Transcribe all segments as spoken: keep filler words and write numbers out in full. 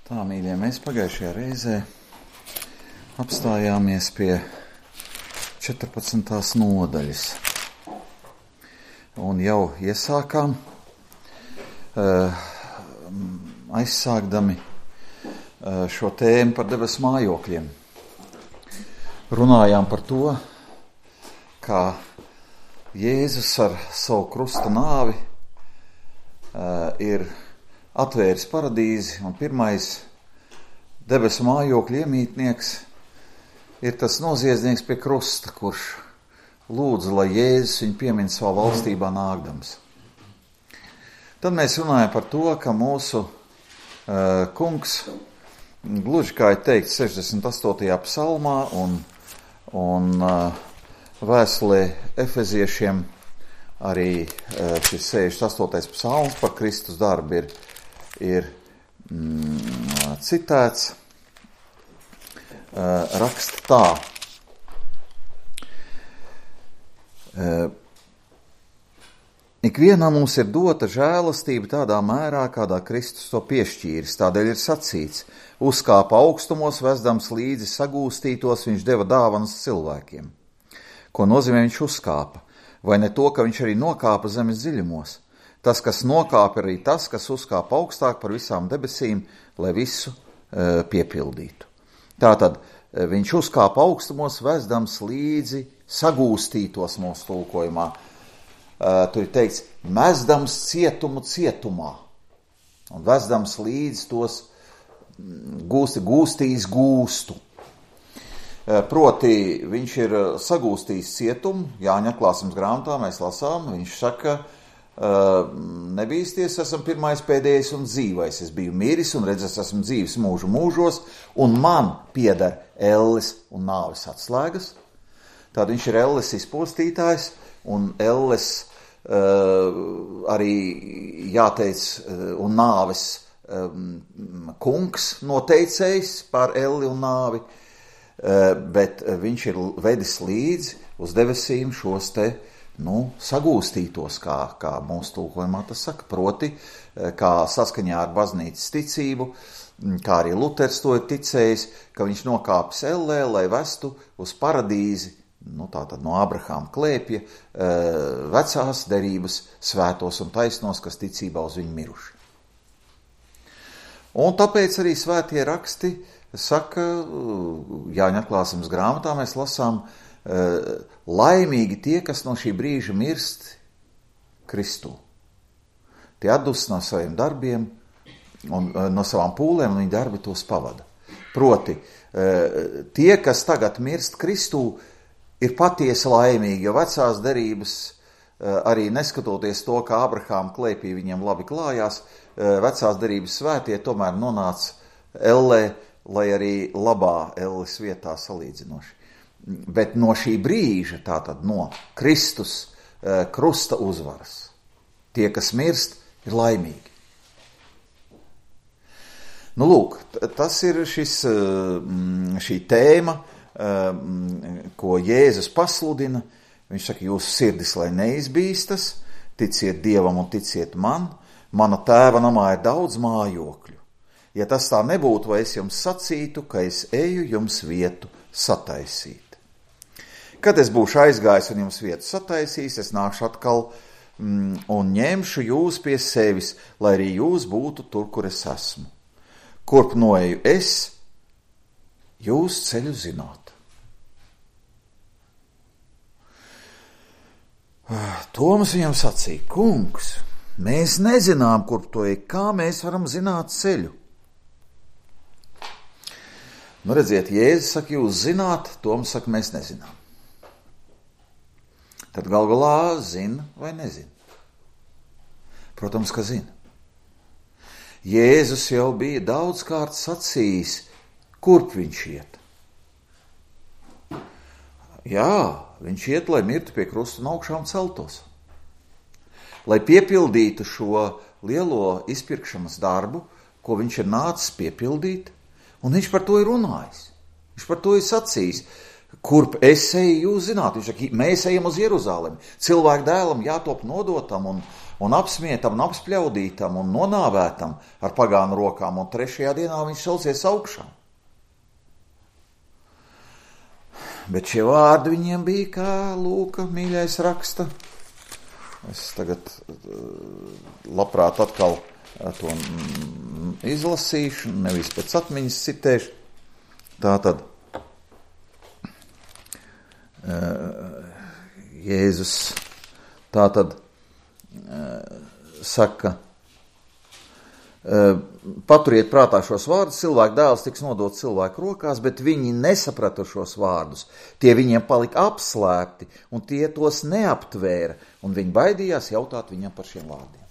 Tā, mīļie, mēs pagājušajā reizē apstājāmies pie četrpadsmitās nodaļas un jau iesākām, uh, aizsākdami uh, šo tēmu par debesu mājokļiem. Runājām par to, kā Jēzus ar savu krusta nāvi uh, ir atvēris paradīzi, un pirmais debesu mājokļu iemītnieks ir tas noziedznieks pie krusta, kurš lūdza, lai Jēzus viņu piemin savā valstībā nākdams. Tad mēs runājam par to, ka mūsu uh, kungs, gluži kā ir teikt sešdesmit astotajā psalmā un, un uh, vēstulē Efeziešiem arī uh, šis sešdesmit astotais psalms par Kristus darbu ir ir mm, citēts, uh, raksta tā. Uh, Ikvienam mums ir dota žēlastība tādā mērā, kādā Kristus to piešķīris. Tādēļ ir sacīts, uzkāpa augstumos, vesdams līdzi sagūstītos, viņš deva dāvanas cilvēkiem. Ko nozīmē viņš uzkāpa? Vai ne to, ka viņš arī nokāpa zemes dziļumos? Tas, kas nokāpa, arī tas, kas uzkāpa augstāk par visām debesīm, lai visu e, piepildītu. Tātad e, viņš uzkāpa augstumos, vesdams līdzi sagūstītos mūsu tulkojumā. E, tur ir teikts, mesdams cietumu cietumā un vesdams līdzi tos gūsti, gūstīs gūstu. E, proti, viņš ir sagūstījis cietumu, Jāņa atklāsmes grāmatā mēs lasām, viņš saka, Uh, nebīsties, esmu pirmais, pēdējais un dzīvais. Es biju miris un redz, es esmu dzīves mūžu mūžos, un man pieder elles un nāves atslēgas. Tad viņš ir elles izpostītājs, un elles uh, arī jāteic, uh, un nāves um, kungs noteicējs par elli un nāvi, uh, bet viņš ir vedis līdzi uz debesīm šos te Nu, sagūstītos, kā, kā mūsu tulkojumā tas saka, proti, kā saskaņā ar baznīcas ticību, kā arī Luters to ir ticējis, ka viņš nokāpis ellē, lai vestu uz paradīzi, nu tātad no Abrahāma klēpja, vecās derības svētos un taisnos, kas ticībā uz viņu miruši. Un tāpēc arī svētie raksti saka, Jāņa atklāsmes grāmatā mēs lasām, laimīgi tie, kas no šī brīža mirst Kristū. Tie atdus no saviem darbiem un no savām pūlēm, un viņi darbi tos pavada. Proti, tie, kas tagad mirst Kristū, ir patiesi laimīgi, jo vecās derības, arī neskatoties to, ka Abrahāma klēpī viņiem labi klājās, vecās derības svētie tomēr nonāca ellē, lai arī labā elles vietā salīdzinoši. Bet no šī brīža, tātad no Kristus uh, krusta uzvaras, tie, kas mirst, ir laimīgi. Nu, lūk, tas ir šis, uh, šī tēma, uh, ko Jēzus pasludina. Viņš saka, jūsu sirdis, lai neizbīstas, ticiet Dievam un ticiet man, mana tēva namā ir daudz mājokļu. Ja tas tā nebūtu, vai es jums sacītu, ka es eju jums vietu sataisīt. Kad es būšu aizgājis un jums vietu sataisījis, es nākšu atkal mm, un ņemšu jūs pie sevis, lai arī jūs būtu tur, kur es esmu. Kurp noeju es, jūs ceļu zināt. Toms viņam sacīja, kungs, mēs nezinām, kurp to ej, kā mēs varam zināt ceļu. Nu, redziet, Jēzus saka, jūs zināt, Toms saka, mēs nezinām. Tad gal galā zina vai nezina? Protams, ka zina. Jēzus jau bija daudzkārt sacījis, kurp viņš iet. Jā, viņš iet, lai mirtu pie krusta un augšām celtos. Lai piepildītu šo lielo izpirkšanas darbu, ko viņš ir nācis piepildīt, un viņš par to ir runājis. Viņš par to ir sacījis. Kurp es eju, jūs zināt, viņš saka, mēs ejam uz Jeruzalemi. Cilvēku dēlam jātop nodotam un, un apsmietam, un apspļaudītam, un nonāvētam ar pagānu rokām, un trešajā dienā viņš celsies augšā. Bet šie vārdi viņiem bija, kā Lūka mīļais raksta. Es tagad labprāt atkal to izlasīšu, nevis pēc atmiņas citēšu. Tātad Jēzus tātad saka, paturiet prātā šos vārdus, cilvēku dēls tiks nodots cilvēku rokās, bet viņi nesaprata šos vārdus. Tie viņiem palika apslēpti, un tie tos neaptvēra, un viņi baidījās jautāt viņam par šiem vārdiem.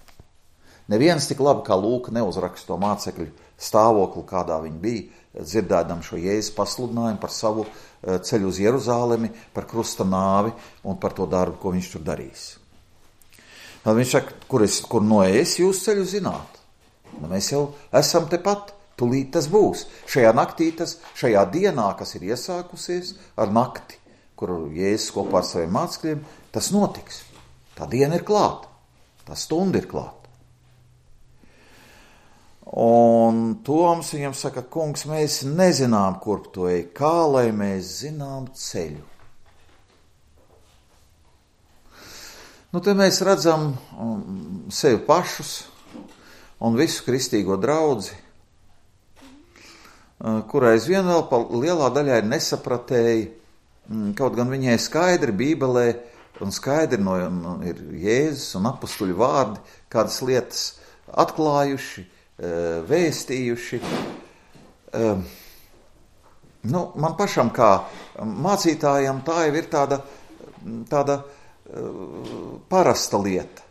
Neviens tik labi kā Lūka neuzraksta to mācekļu stāvokli, kādā viņi bija, dzirdēdam šo Jēzus pasludinājumu par savu ceļu uz Jeruzālemi, par krusta nāvi un par to darbu, ko viņš tur darīs. Tad viņš saka, kur, es, kur noies, jūs ceļu zināt. Nu, mēs jau esam tepat, tulīt tas būs. Šajā naktī, tas, šajā dienā, kas ir iesākusies ar nakti, kur Jēzus kopā ar saviem mācekļiem, tas notiks. Tā diena ir klāta, tā stunda ir klāta. Un Toms viņam saka, kungs, mēs nezinām, kurp tu ej, kā lai mēs zinām ceļu. Nu, te mēs redzam um, sevi pašus un visu kristīgo draudzi, uh, kurai aizvien vēl pa lielā daļā ir nesapratēji, um, kaut gan viņai skaidri Bībelē un skaidri no, no, ir Jēzus un apustuļu vārdi, kādas lietas atklājuši, vēstījuši. Nu, man pašam kā mācītājam tā jau ir tāda, tāda parasta lieta,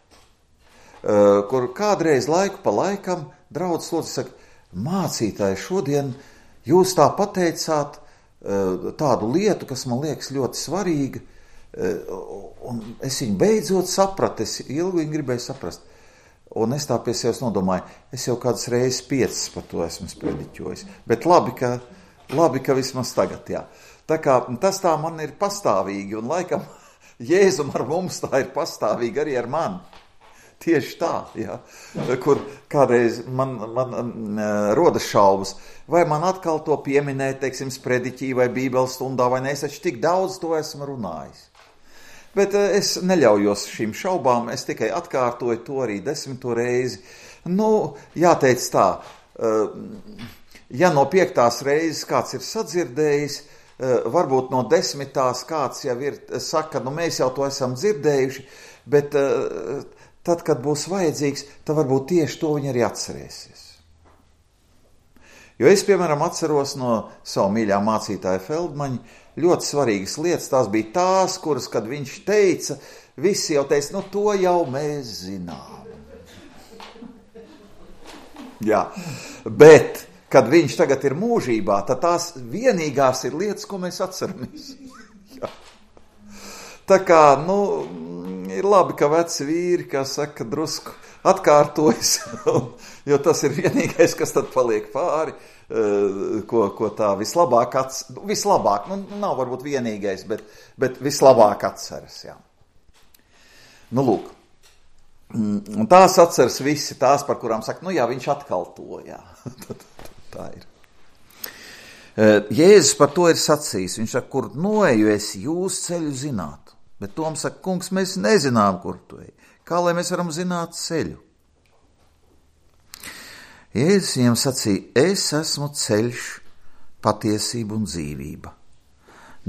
kur kādreiz laiku pa laikam draudz lūdzu saka, mācītāji, šodien jūs tā pateicāt tādu lietu, kas man liekas ļoti svarīga, un es viņu beidzot sapratu, es ilgi viņu gribēju saprast. Un es tā pie sevis nodomāju, es jau kādas reizes piecas par to esmu sprediķojis. Bet labi, ka, labi, ka vismaz tagad, jā. Tā kā tas tā man ir pastāvīgi, un laikam Jēzum ar mums tā ir pastāvīgi arī ar mani. Tieši tā, jā. Kur kādreiz man, man rodas šaubas, vai man atkal to pieminēt, teiksim, sprediķī vai bībeles stundā, vai ne, es taču tik daudz to esmu runājis. Bet es neļaujos šīm šaubām, es tikai atkārtoju to arī desmito reizi. Nu, jāteic tā, ja no piektās reizes kāds ir sadzirdējis, varbūt no desmitās kāds jau ir, saka, nu mēs jau to esam dzirdējuši, bet tad, kad būs vajadzīgs, tad varbūt tieši to viņi arī atcerēsies. Jo es, piemēram, atceros no savu mīļā mācītāja Feldmaņa, ļoti svarīgas lietas, tās bija tās, kuras, kad viņš teica, visi jau teica, nu to jau mēs zinām. Jā, bet, kad viņš tagad ir mūžībā, tad tās vienīgās ir lietas, ko mēs atceramies. Jā. Tā kā, nu, ir labi, ka veci vīri, kā saka, drusku atkārtojas, jo tas ir vienīgais, kas tad paliek pāri. Ko, ko tā vislabāk atceras, vislabāk, nu nav varbūt vienīgais, bet, bet vislabāk atceras, jā. Nu, lūk, un tās atceras visi, tās, par kurām saka, nu jā, viņš atkal to, jā, tā ir. Jēzus par to ir sacījis, viņš saka, kur noeju es, jūs ceļu zinātu, bet Toms saka, kungs, mēs nezinām, kur tu ej, kā lai mēs varam zināt ceļu? Jēzus viņam sacīja, es esmu ceļš, patiesība un dzīvība.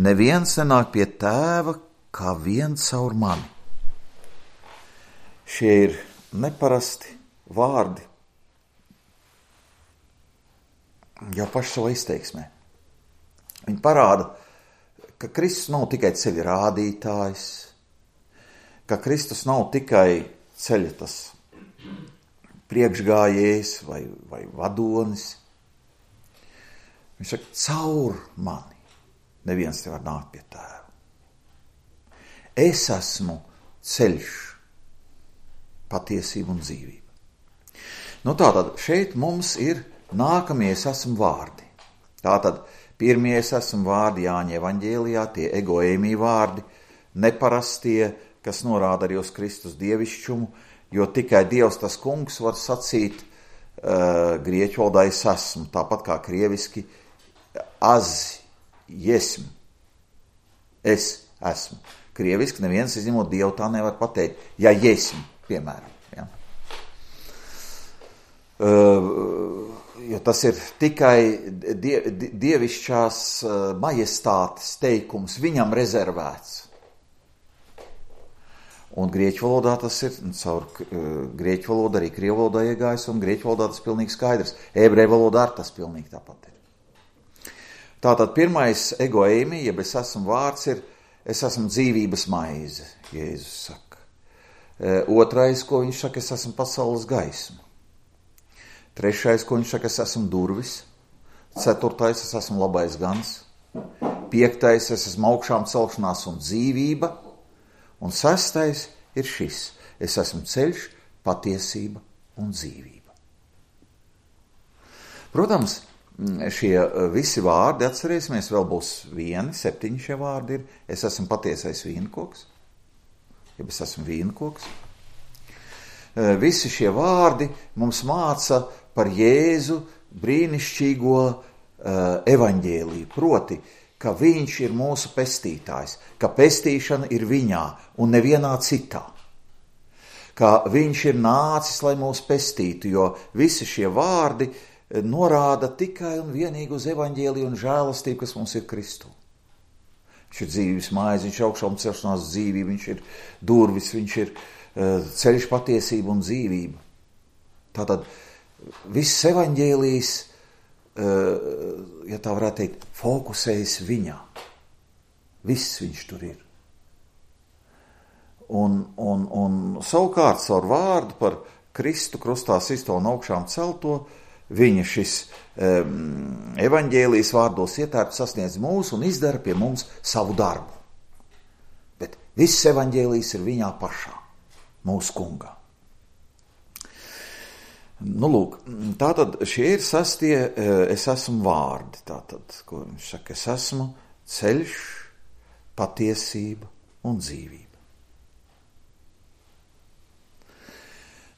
Neviens nenāk pie tēva, kā viens caur mani. Šie ir neparasti vārdi, jau paši savā izteiksmē. Viņi parāda, ka Kristus nav tikai ceļa rādītājs, ka Kristus nav tikai ceļa tas priekšgājējs vai, vai vadonis. Viņš saka, caur mani neviens nevar nākt pie tēva. Es esmu ceļš, patiesība un dzīvība. Nu tātad šeit mums ir nākamie es esmu vārdi. Tātad pirmie es esmu vārdi Jāņa evaņģēlijā, tie egoēmī vārdi, neparastie, kas norāda arī uz Kristus dievišķumu, jo tikai Dievs tas kungs var sacīt uh, grieķu valodā es esmu, tāpat kā krieviski az, jesmu, es esmu. Krieviski neviens izņemot Dievu tā nevar pateikt, ja jesmu, piemēram. Ja. Uh, jo tas ir tikai die, dievišķās uh, majestātes teikums, viņam rezervēts. Un grieķu valodā tas ir, caur uh, grieķu valodā arī krievu valodā iegājis, un grieķu valodā tas pilnīgi skaidrs. Ebreju valodā ar tas pilnīgi tāpat ir. Tātad pirmais egoēmi, jeb es esmu vārds, ir es esmu dzīvības maize, Jēzus saka. Uh, otrais, ko viņš saka, es esmu pasaules gaisma. Trešais, ko viņš saka, es esmu durvis. Ceturtais, es esmu labais gans. Piektais, es esmu augšām celšanās un dzīvība. Un sestais ir šis. Es esmu ceļš, patiesība un dzīvība. Protams, šie visi vārdi, atcerēsimies, vēl būs vieni, septiņi šie vārdi ir. Es esmu patiesais vīnkoks. Ja es esmu vīnkoks. Visi šie vārdi mums māca par Jēzu brīnišķīgo uh, evaņģēliju, proti, ka viņš ir mūsu pestītājs, ka pestīšana ir viņā un nevienā citā. Ka viņš ir nācis, lai mūs pestītu, jo visi šie vārdi norāda tikai un vienīgi uz evaņģēliju un žēlastību, kas mums ir Kristū. Viņš ir dzīvības maize, viņš ir augšām celšanās dzīvība, viņš ir durvis, viņš ir uh, ceļš, patiesība un dzīvība. Tātad viss evaņģēlijs, ja tā varētu teikt, fokusējas viņā. Viss viņš tur ir. Un, un, un savukārt caur vārdu par Kristu krustā sisto un augšām celto, viņa šis um, evaņģēlijs vārdos ietērps sasniedz mūs un izdara pie mums savu darbu. Bet viss evaņģēlijs ir viņā pašā, mūsu kungā. Nu, lūk, tātad šie ir sastie es esmu vārdi, tātad, ko viņš saka, es esmu ceļš, patiesība un dzīvība.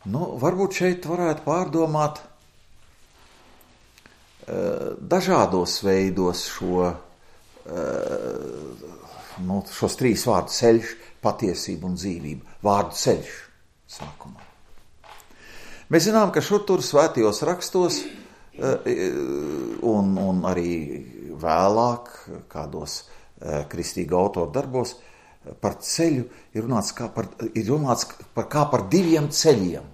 Nu, varbūt šeit varētu pārdomāt dažādos veidos šo, nu, šos trīs vārdus ceļš, patiesība un dzīvība. Vārdu ceļš sākumā. Mēs zinām, ka šur tur svētajos rakstos un, un arī vēlāk kādos kristīga autoru darbos par ceļu ir runāts, kā par, ir runāts par, kā par diviem ceļiem.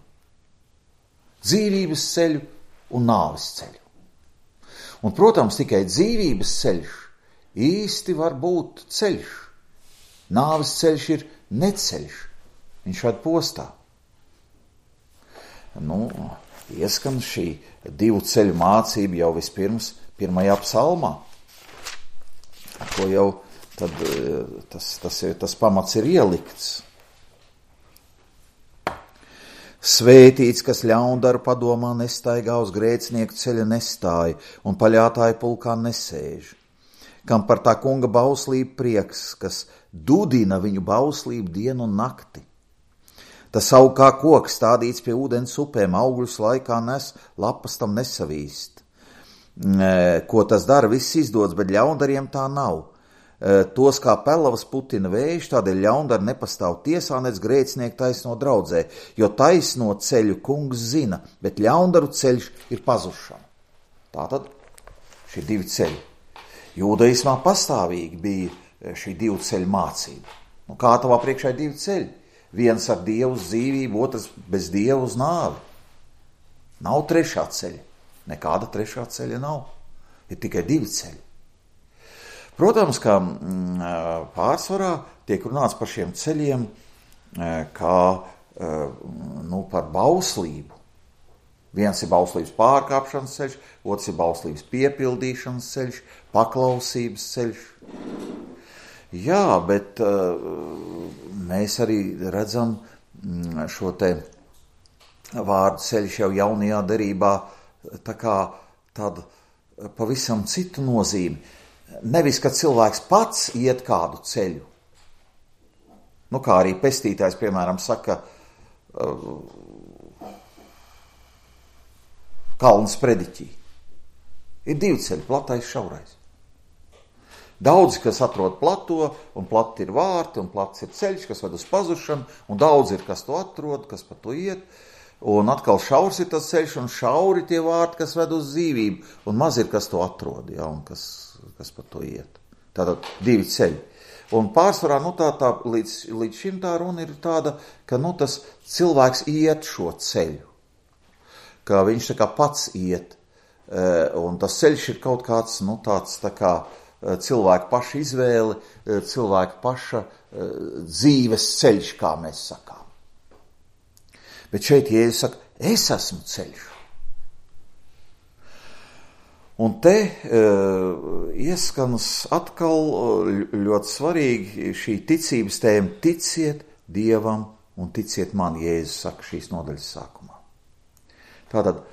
Dzīvības ceļu un nāves ceļu. Un, protams, tikai dzīvības ceļš īsti var būt ceļš. Nāves ceļš ir neceļš. Viņš šādi postā. Nu, ieskan šī divu ceļu mācība jau vispirms pirmajā psalmā, ar ko jau tad, tas, tas, ir, tas pamats ir ielikts. Svētīts, kas ļaundaru padomā nestaigā, uz grēcinieku ceļa nestāja un paļātāju pulkā nesēž, kam par tā kunga bauslību prieks, kas dudina viņu bauslību dienu un nakti. Tas aug kā koks stādīts pie ūdens upēm, augļus laikā nes, lapas tam nesavīst. Ko tas dara, viss izdodas, bet ļaundariem tā nav. Tos kā pelavas putina vējš, tādēļ ļaundari nepastāv tiesā, nec grēcinieku taisno draudzē, jo taisno ceļu kungs zina, bet ļaundaru ceļš ir pazušana. Tātad šie divi ceļi. Jūdaismā pastāvīgi bija šī divu ceļu mācība. Nu, kā tavā priekšā ir divi ceļi? Viens ar Dievu uz dzīvību, otrs bez Dievu uz nāvi. Nav trešā ceļa. Nekāda trešā ceļa nav. Ir tikai divi ceļi. Protams, ka pārsvarā tiek runāts par šiem ceļiem kā nu, par bauslību. Viens ir bauslības pārkāpšanas ceļš, otrs ir bauslības piepildīšanas ceļš, paklausības ceļš. Jā, bet uh, mēs arī redzam šo te vārdu ceļš jau jaunajā derībā tā kā tādu pavisam citu nozīmi. Nevis, ka cilvēks pats iet kādu ceļu. Nu, kā arī pestītājs, piemēram, saka, uh, kalns prediķī. Ir divi ceļi, platais, šaurais. Daudzi, kas atrod plato, un plati ir vārti, un plats ir ceļš, kas ved uz pazušanu, un daudz ir, kas to atrod, kas pa to iet, un atkal šaurs ir tas ceļš, un šauri tie vārti, kas ved uz dzīvību, un maz ir, kas to atrod, ja, un kas, kas pa to iet. Tātad divi ceļi. Un pārsvarā, nu tā, tā līdz, līdz šim tā runa ir tāda, ka, nu, tas cilvēks iet šo ceļu, ka viņš tā kā pats iet, un tas ceļš ir kaut kāds, nu, tāds tā kā cilvēka paša izvēle, cilvēka paša dzīves ceļš, kā mēs sakām. Bet šeit Jēzus saka, es esmu ceļš. Un te uh, ieskanas atkal ļoti svarīgi šī ticības tēma, ticiet Dievam un ticiet man, Jēzus saka šīs nodaļas sākumā. Tātad, uh,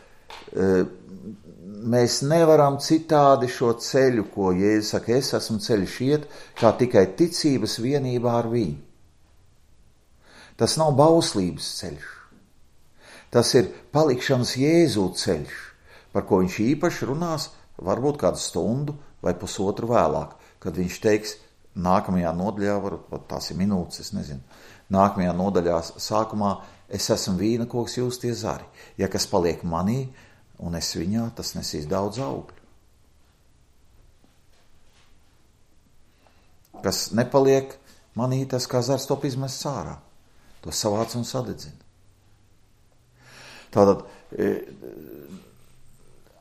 mēs nevaram citādi šo ceļu, ko Jēzus saka, es esmu ceļš iet, kā tikai ticības vienībā ar viņu. Tas nav bauslības ceļš. Tas ir palikšanas Jēzu ceļš, par ko viņš īpaši runās varbūt kādu stundu vai pusotru vēlāk, kad viņš teiks nākamajā nodaļā, varbūt tās ir minūtes, es nezinu, nākamajā nodaļā sākumā, es esmu vīna koks, jūs tie zari. Ja kas paliek manī, un es viņā, tas nesīs daudz augļu. Kas nepaliek manī, tas kā zars top izmests ārā. To savāc un sadedzina. Tātad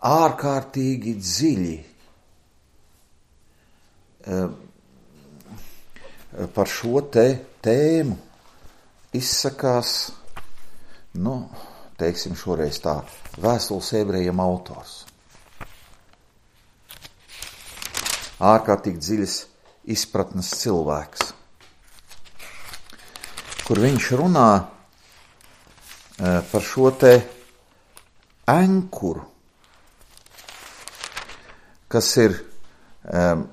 ārkārtīgi dziļi par šo te tēmu izsakās, nu, teiksim šoreiz tā, Vēstules ebrejiem autors. Ārkārtīgi dziļas izpratnes cilvēks, kur viņš runā par šo te ankuru, kas ir um,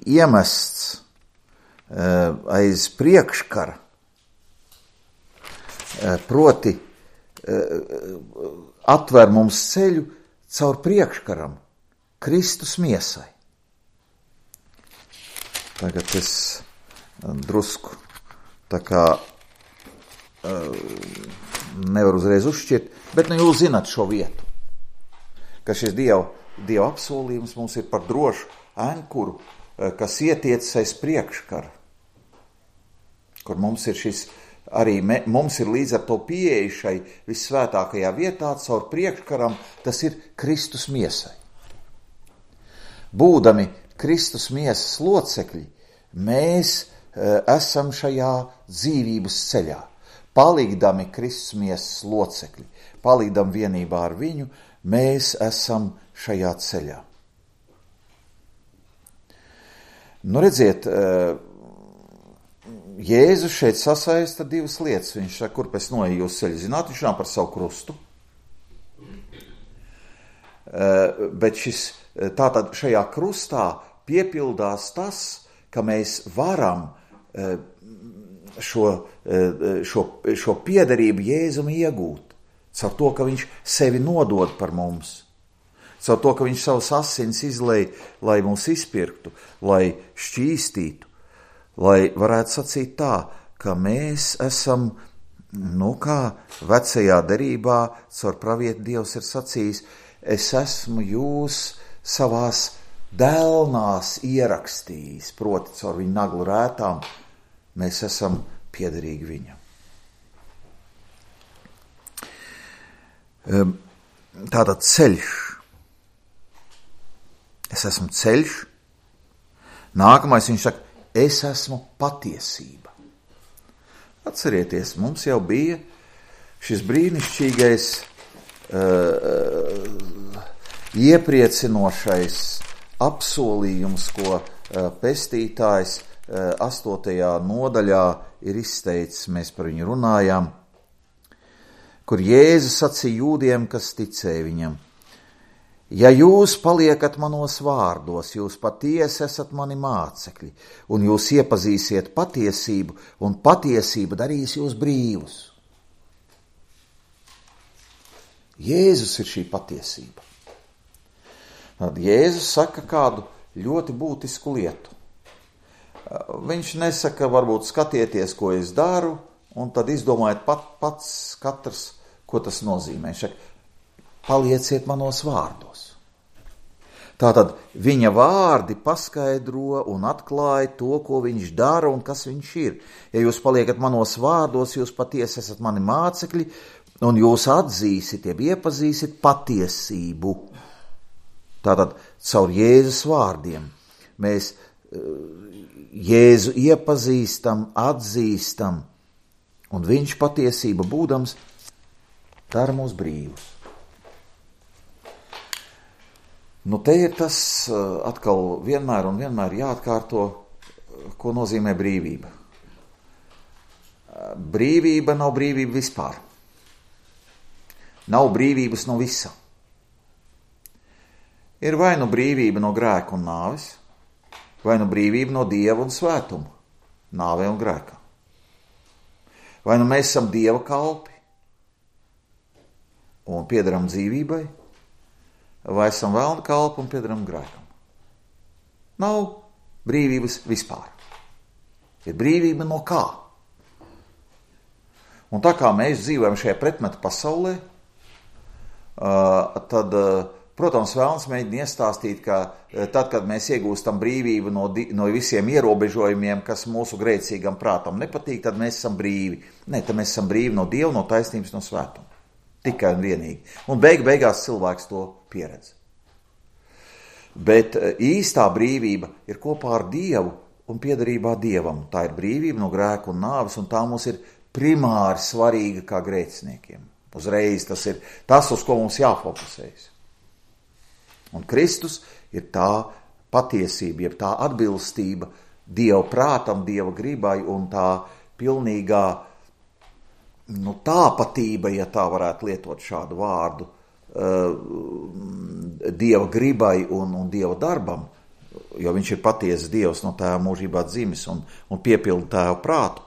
iemests um, aiz priekškara, um, proti um, atver mums ceļu caur priekškaram, Kristus miesai. Tagad es drusku tā kā nevar uzreiz uzšķirt, bet nu jūs zināt šo vietu, ka šis Dieva, Dieva apsolījums mums ir par drošu ankuru, kas ietiecas aiz priekškara, kur mums ir šis, arī me, mums ir līdz ar to pieeja šai vissvētākajā vietā, caur priekškaram, tas ir Kristus miesai. Būdami Kristus miesas locekļi, mēs e, esam šajā dzīvības ceļā. Palikdami Kristus miesas locekļi, palikdam vienībā ar viņu, mēs esam šajā ceļā. Nu, redziet, Jēzus šeit sasaista divas lietas. Viņš saka, kur pēc noeju jūs ceļu zināt, viņš runā par savu krustu. Bet šis, tātad šajā krustā piepildās tas, ka mēs varam šo, šo, šo piederību Jēzum iegūt, caur to, ka viņš sevi nodod par mums, caur to, ka viņš savus asins izlej, lai mūs izpirktu, lai šķīstītu, lai varētu sacīt tā, ka mēs esam, nu kā vecajā derībā, caur pravieti Dievs ir sacījis, es esmu jūs savās dēlnās ierakstījis, proti caur viņu naglu rētām, mēs esam piederīgi viņam. Tātad ceļš. Es esmu ceļš. Nākamais viņš saka, es esmu patiesība. Atcerieties, mums jau bija šis brīnišķīgais, uh, iepriecinošais apsolījums, ko uh, pestītājs astotajā nodaļā ir izteicis, mēs par viņu runājām, kur Jēzus sacīja jūdiem, kas ticēja viņam. Ja jūs paliekat manos vārdos, jūs patiesi esat mani mācekļi, un jūs iepazīsiet patiesību, un patiesība darīs jūs brīvus. Jēzus ir šī patiesība. Tad Jēzus saka kādu ļoti būtisku lietu. Viņš nesaka, varbūt skatieties, ko es daru, un tad izdomājiet pat, pats katrs, ko tas nozīmē. Viņš saka, palieciet manos vārdos. Tātad viņa vārdi paskaidro un atklāja to, ko viņš dara un kas viņš ir. Ja jūs paliekat manos vārdos, jūs patiesi esat mani mācekļi, un jūs atzīsit, jeb iepazīsit patiesību. Tātad caur Jēzus vārdiem mēs Jēzu iepazīstam, atzīstam, un viņš patiesība būdams dara mūs brīvus. Nu, te ir tas atkal vienmēr un vienmēr jāatkārto, ko nozīmē brīvība. Brīvība nav brīvība vispār. Nav brīvības no visa. Ir vai nu brīvība no grēka un nāves, vai nu brīvība no Dieva un svētuma, nāvē un grēkā. Vai nu mēs esam Dieva kalpi un piederam dzīvībai, vai esam velna kalpi un piederam grēkam. Nav brīvības vispār. Ir brīvība no kā. Un tā kā mēs dzīvojam šajā pretmetu pasaulē, tad, protams, vēlns mēģina iestāstīt, ka tad, kad mēs iegūstam brīvību no, di- no visiem ierobežojumiem, kas mūsu grēcīgam prātam nepatīk, tad mēs esam brīvi. Nē, tad mēs esam brīvi no Dieva, no taisnības, no svētuma. Tikai un vienīgi. Un beig beigās cilvēks to pieredz. Bet īstā brīvība ir kopā ar Dievu un piederībā Dievam. Tā ir brīvība no grēka un nāves, un tā mums ir primāri svarīga kā grēciniekiem. Uzreiz tas ir tas, uz ko mums jāfokusējas. Un Kristus ir tā patiesība, jeb tā atbilstība Dieva prātam, Dieva gribai un tā pilnīgā nu, tāpatība, ja tā varētu lietot šādu vārdu, uh, Dieva gribai un, un Dieva darbam, jo viņš ir patiesas Dievs no tēva mūžībā dzimis un, un piepilda tēva prātu.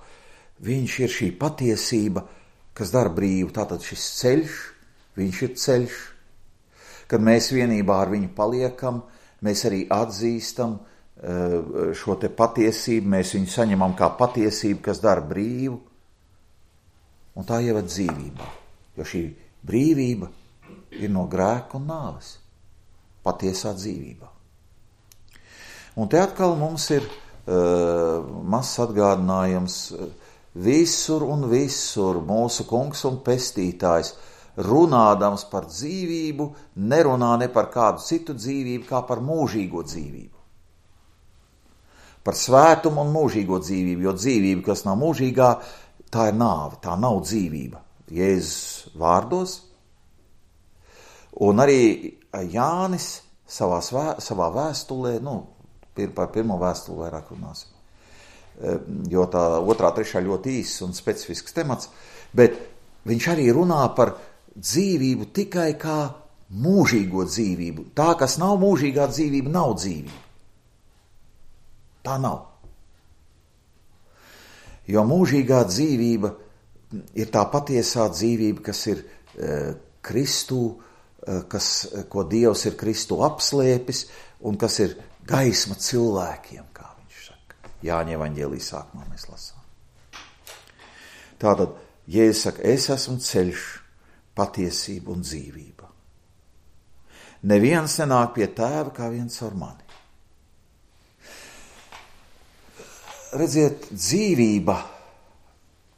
Viņš ir šī patiesība, kas dara brīvu. Tātad šis ceļš, viņš ir ceļš. Kad mēs vienībā ar viņu paliekam, mēs arī atzīstam uh, šo te patiesību, mēs viņu saņemam kā patiesību, kas dara brīvu. Un tā ieved dzīvībā, jo šī brīvība ir no grēka un nāves, patiesā dzīvībā. Un te atkal mums ir uh, mazs atgādinājums, visur un visur mūsu kungs un pestītājs, runādams par dzīvību, nerunā ne par kādu citu dzīvību, kā par mūžīgo dzīvību. Par svētumu un mūžīgo dzīvību, jo dzīvība, kas nav mūžīgā, tā ir nāve, tā nav dzīvība. Jēzus vārdos. Un arī Jānis savā, svē, savā vēstulē, nu, par pirmo vēstuli vairāk runāsim, jo tā otrā, trešā ļoti īss un specifisks temats, bet viņš arī runā par dzīvību tikai kā mūžīgo dzīvību. Tā, kas nav mūžīgā dzīvība, nav dzīvība. Tā nav. Jo mūžīgā dzīvība ir tā patiesā dzīvība, kas ir e, Kristū, e, kas, ko Dievs ir Kristū apslēpis un kas ir gaisma cilvēkiem, kā viņš saka. Jāņa evaņģēlija sākumā mēs lasām. Tātad, Jēzus saka, es esmu ceļš, patiesība un dzīvība. Neviens nenāk pie tēva kā viens ar mani. Redziet, dzīvība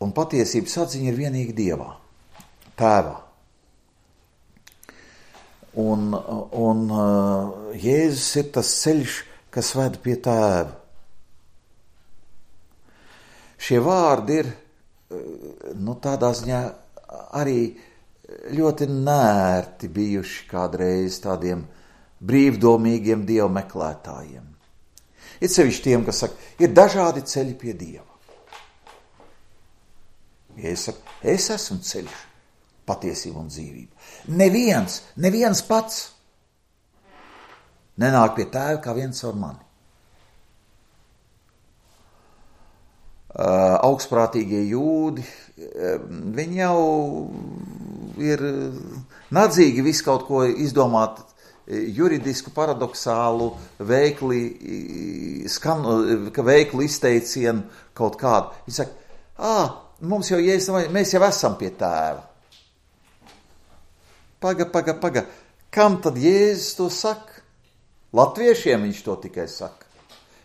un patiesības atziņa ir vienīgi Dievā, tēvā. Un, un Jēzus ir tas ceļš, kas ved pie tēva. Šie vārdi ir, nu, tādā ziņā arī ļoti nērti bijuši kādreiz tādiem brīvdomīgiem dievu meklētājiem. Ir sevišķi tiem, kas saka, ir dažādi ceļi pie Dieva. Ja es saku, es esmu ceļš, patiesība un dzīvība. Neviens, neviens pats nenāk pie tēva kā viens ar mani. Uh, augstprātīgie jūdi, uh, viņi jau ir nadzīgi visu kaut ko izdomāt juridisku, paradoksālu, veikli, skan, veikli izteicienu kaut kādu. Viņi saka, ā, mums jau Jēzus, mēs jau esam pie tēva. Paga, paga, paga. Kam tad Jēzus to saka? Latviešiem viņš to tikai saka.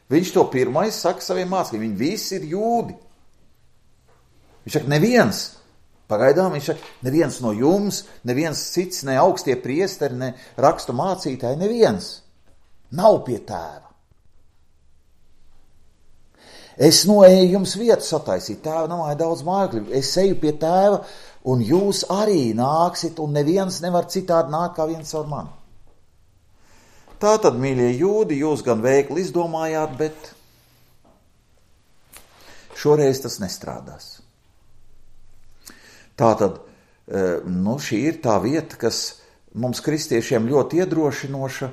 Viņš to pirmais saka saviem mācekļiem. Viņi visi ir jūdi. Viņš saka, neviens. Pagaidām viņš saka, neviens no jums, neviens cits, ne augstie priesteri, ne rakstu mācītāji, neviens nav pie tēva. Es noeju jums vietu sataisīt, tēva namā ir daudz mājokļu, es eju pie tēva, un jūs arī nāksit, un neviens nevar citādi nākt kā viens ar mani. Tātad, mīļie jūdi, jūs gan veikli izdomājāt, bet šoreiz tas nestrādās. Tātad, nu, šī ir tā vieta, kas mums kristiešiem ļoti iedrošinoša,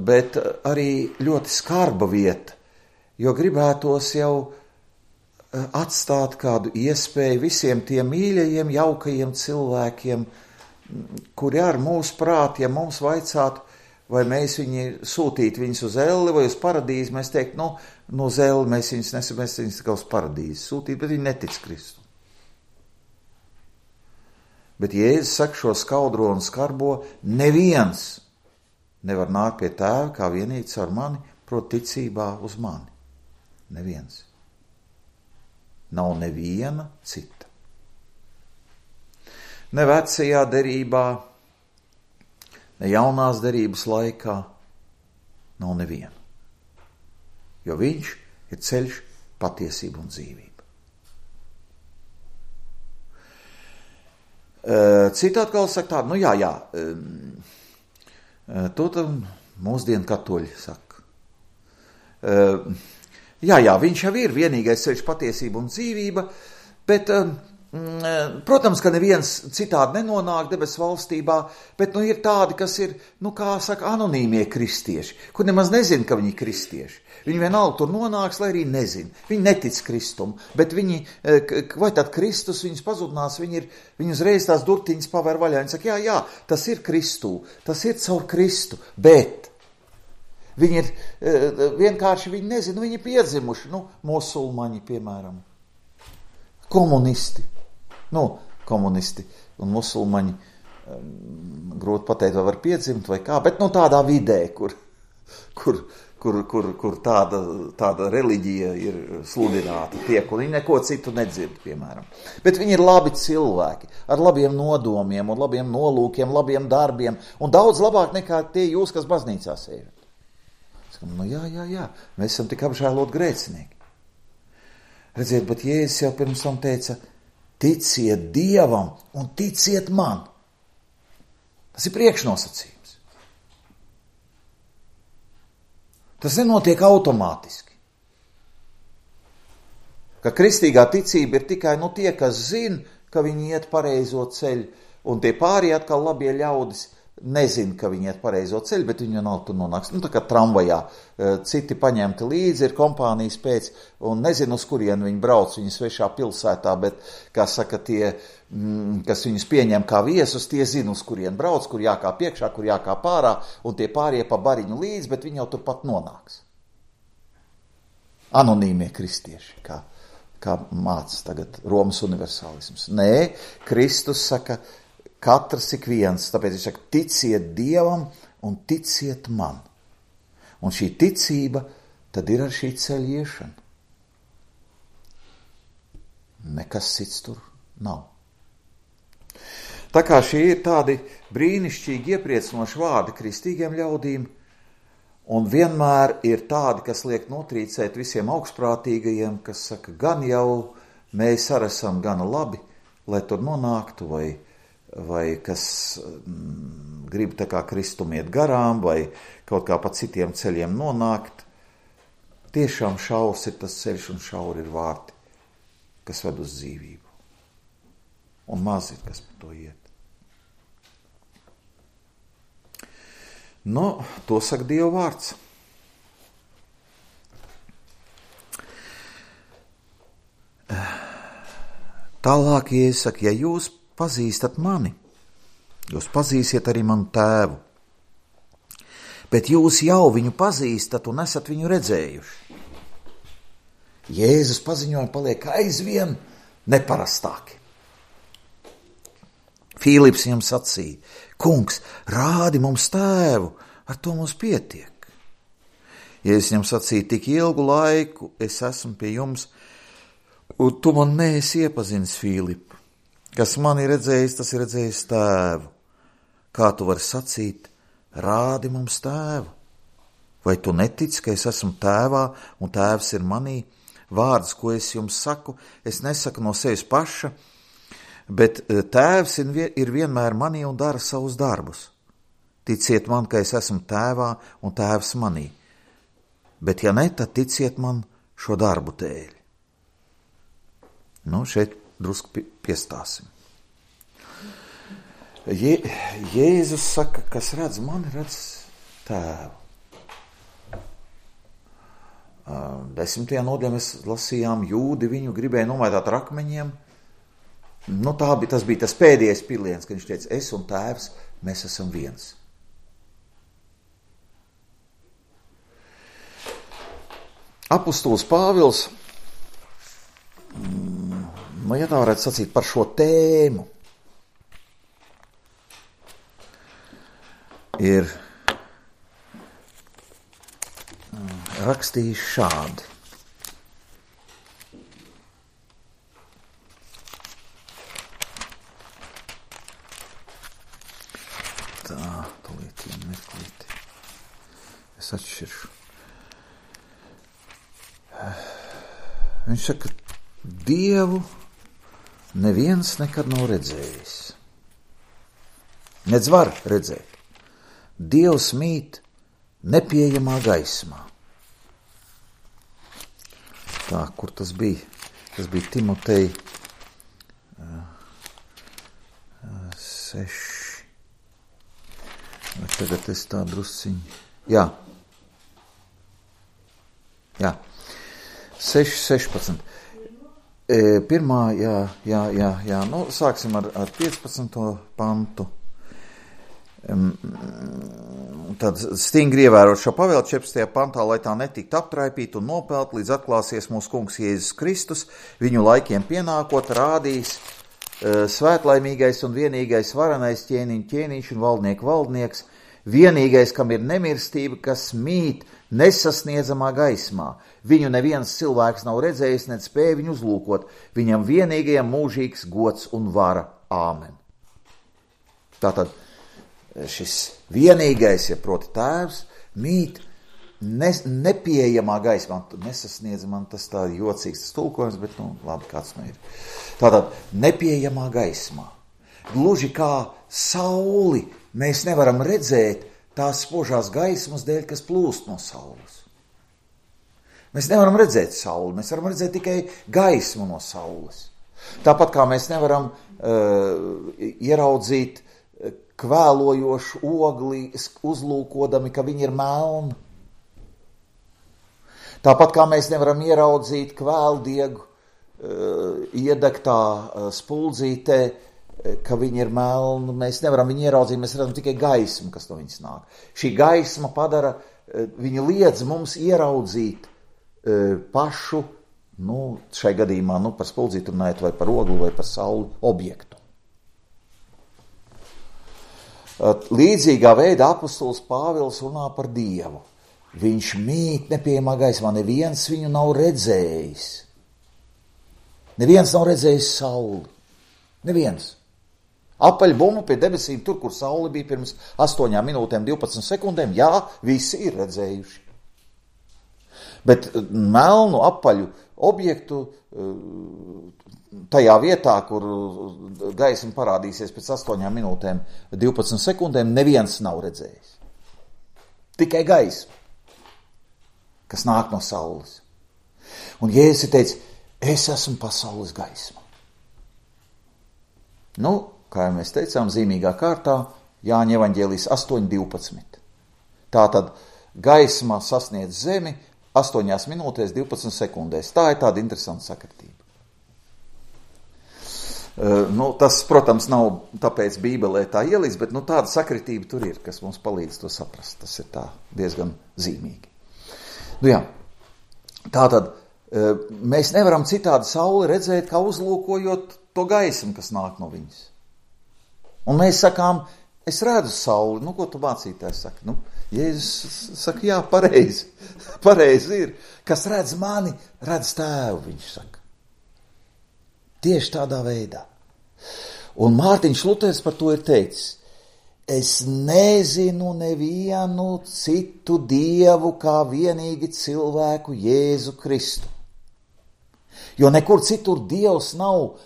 bet arī ļoti skarba vieta, jo gribētos jau atstāt kādu iespēju visiem tiem mīļajiem, jaukajiem cilvēkiem, kuri ar mūsu prāti, ja mums vaicātu, vai mēs viņi sūtītu viņus uz elli vai uz paradīzi, mēs teiktu, nu, no uz elli mēs viņus nesam, mēs viņus tikai uz paradīzi sūtīt, bet viņi netic Kristu. Bet Jēzus saka šo skaudro un skarbo, neviens nevar nākt pie tēva kā vienīgs ar mani, proti ticībā uz mani. Neviens. Nav neviena cita. Ne vecajā derībā, ne jaunās derības laikā nav neviena. Jo viņš ir ceļš, patiesība un dzīvība. Cita atkal saka tādu, nu jā, jā, to tam mūsdienu katoļi saka. Jā, jā, viņš jau ir vienīgais ceļš, patiesība un dzīvība, bet, protams, ka neviens citādi nenonāk debesu valstībā, bet, nu, ir tādi, kas ir, nu, kā saka, anonīmie kristieši, kur nemaz nezin, ka viņi ir kristieši. Viņi vienalga tur nonāks, lai arī nezin. Viņi netic Kristumu, bet viņi, vai tad Kristus viņus pazudinās, viņi, ir, viņi uzreiz tās durtiņas pavēr vaļā. Viņi saka, jā, jā, tas ir Kristū, tas ir caur Kristu, bet viņi ir, vienkārši viņi nezin, viņi ir piedzimuši, nu, musulmaņi, piemēram, komunisti, nu, komunisti un musulmaņi, grūti pateikt, vai var piedzimt vai kā, bet, nu, tādā vidē, kur, kur, kur, kur, kur tāda, tāda reliģija ir sludināta tiek, un viņi neko citu nedzird, piemēram. Bet viņi ir labi cilvēki, ar labiem nodomiem un labiem nolūkiem, labiem darbiem, un daudz labāk nekā tie jūs, kas baznīcā sēžat. Skam, nu jā, jā, jā, mēs esam tik apžēlot grēcinieki. Redziet, bet Jēzus jau pirms tam teica, ticiet Dievam un ticiet man. Tas ir priekšnosacījums. Tas nenotiek automātiski. Ka kristīgā ticība ir tikai nu, tie, kas zina, ka viņi iet pareizo ceļu, un tie pārējie atkal labie ļaudis nezina, ka viņi iet pareizo ceļu, bet viņi nav tur nonāks. Nu, tā kā tramvajā citi paņemti līdzi, ir kompānijas pēc, un nezinu, uz kurien viņi brauc, viņi svešā pilsētā, bet, kā saka, tie, kas viņus pieņem kā viesus, tie zina, uz kurien brauc, kur jākā piekšā, kur jākā pārā, un tie pārējie pa bariņu līdzi, bet viņi jau turpat nonāks. Anonīmie kristieši, kā, kā māca tagad Romas universālisms. Nē, Kristus saka, katrs ik viens, tāpēc viņš saka, ticiet Dievam un ticiet man. Un šī ticība tad ir ar šī ceļa iešana. Nekas cits tur nav. Tā kā šie ir tādi brīnišķīgi iepriecinoši vārdi kristīgiem ļaudīm, un vienmēr ir tādi, kas liek notrīcēt visiem augstprātīgajiem, kas saka, gan jau mēs arī esam gana labi, lai tur nonāktu, vai, vai kas mm, grib tā kā Kristum iet garām, vai kaut kā pa citiem ceļiem nonākt. Tiešām šaurs ir tas ceļš un šauri ir vārti, kas ved uz dzīvību. Un maz ir, kas par to iet. Nu, to saka Dieva vārds. Tālāk, ja es saku, ja jūs pazīstat mani, jūs pazīsiet arī manu tēvu. Bet jūs jau viņu pazīstat un esat viņu redzējuši. Jēzus paziņojumi paliek aizvien neparastāki. Filips viņam sacīja: Kungs, rādi mums tēvu, ar to mums pietiek. Jēzus viņam sacīja: tik ilgu laiku es esmu pie jums, un tu man neesi iepazinis, Filip. Kas man ir redzējis, tas ir redzējis tēvu. Kā tu vari sacīt, rādi mums tēvu? Vai tu netici, ka es esmu tēvā un tēvs ir manī? Vārdus, ko es jums saku, es nesaku no sevis paša, bet tēvs ir vienmēr manī un dara savus darbus. Ticiet man, ka es esmu tēvā un tēvs manī. Bet ja ne, tad ticiet man šo darbu dēļ. Nu, šeit drusku piestāsim. Je, Jēzus saka, kas redz mani, redz tēvu. Desmitajā nodaļā mēs lasījām, jūdi viņu gribēja nomaitāt ar akmeņiem. Nu, tā bija, tas bija tas pēdējais piliens, kad viņš teica, es un tēvs, mēs esam viens. Apostols Pāvils, nu, ja tā varētu sacīt par šo tēmu, ir rakstījis šādi. Tā, tūlīt, mirklīti. Es atšķiršu. Viņš saka, Dievu neviens nekad nav redzējis. Nedz var redzēt. Dievs mīt nepieejamā gaismā. Tā, kur tas bija? Tas bija Timotei uh, uh, seši. Vai tagad es tā drusciņu. Jā. Jā. seši, sešpadsmit. E, pirmā, jā, jā, jā, jā. Nu, sāksim ar, ar piecpadsmito pantu. Tad stingri ievērot šo pavēlu četrpadsmitajā pantā, lai tā netiktu aptraipīta un nopelt, līdz atklāsies mūsu kungs Jēzus Kristus, viņu laikiem pienākot, rādīs uh, svētlaimīgais un vienīgais varenais ķēniņu ķēniņš un valdnieku valdnieks, vienīgais, kam ir nemirstība, kas mīt nesasniedzamā gaismā. Viņu neviens cilvēks nav redzējis, ne spēja viņu uzlūkot. Viņam vienīgajam mūžīgs gods un vara. Āmen. Tātad šis vienīgais, ja proti tēvs, mīt ne, nepieejamā gaismā. Nesasniedzamā, tas tā jocīgs tas tulkojums, bet nu labi, kāds nu ir. Tātad nepieejamā gaismā. Gluži kā sauli mēs nevaram redzēt tās spožās gaismas dēļ, kas plūst no saules. Mēs nevaram redzēt sauli, mēs varam redzēt tikai gaismu no saules. Tāpat kā mēs nevaram uh, ieraudzīt kvēlojošu ogli, uzlūkodami, ka viņi ir melni. Tāpat kā mēs nevaram ieraudzīt kvēldiegu uh, iedegtā uh, spuldzītē, uh, ka viņi ir melni. Mēs nevaram viņu ieraudzīt, mēs redzam tikai gaismu, kas no viņas nāk. Šī gaisma padara, uh, viņa liedz mums ieraudzīt uh, pašu, nu, šai gadījumā, nu, par spuldzītu runājot, vai par ogli, vai par sauli objektu. Līdzīgā veidā apostols Pāvils runā par Dievu. Viņš mīt nepieejamā gaismā, neviens viņu nav redzējis. Neviens nav redzējis sauli. Neviens. Apaļbumbu pie debesīm, tur, kur saule bija pirms astoņām minūtēm, divpadsmit sekundēm, jā, visi ir redzējuši. Bet melnu apaļu objektu tajā vietā, kur gaisma parādīsies pēc astoņām minūtēm, divpadsmit sekundēm, neviens nav redzējis. Tikai gaisma, kas nāk no saules. Un Jēzus teica, es esmu pasaules gaisma. Nu, kā jau mēs teicām, zīmīgā kārtā, Jāņa evaņģēlijas astoņi divpadsmit. Tātad gaisma sasniedz zemi astoņās minūtēs, divpadsmit sekundēs. Tā ir tāda interesanta sakritība. Uh, nu, tas, protams, nav tāpēc Bībelē tā ielīdz, bet nu, tāda sakritība tur ir, kas mums palīdz to saprast. Tas ir tā diezgan zīmīgi. Nu jā, tātad uh, mēs nevaram citādi sauli redzēt, kā uzlūkojot to gaismu, kas nāk no viņas. Un mēs sakām, es redzu sauli. Nu, ko tu mācītājs saka? Nu, Jēzus saka, jā, pareizi. Pareizi ir. Kas redz mani, redz tēvu, viņš saka. Tieši tādā veidā. Un Mārtiņš Luters par to ir teicis, es nezinu nevienu citu dievu kā vienīgi cilvēku Jēzu Kristu. Jo nekur citur dievs nav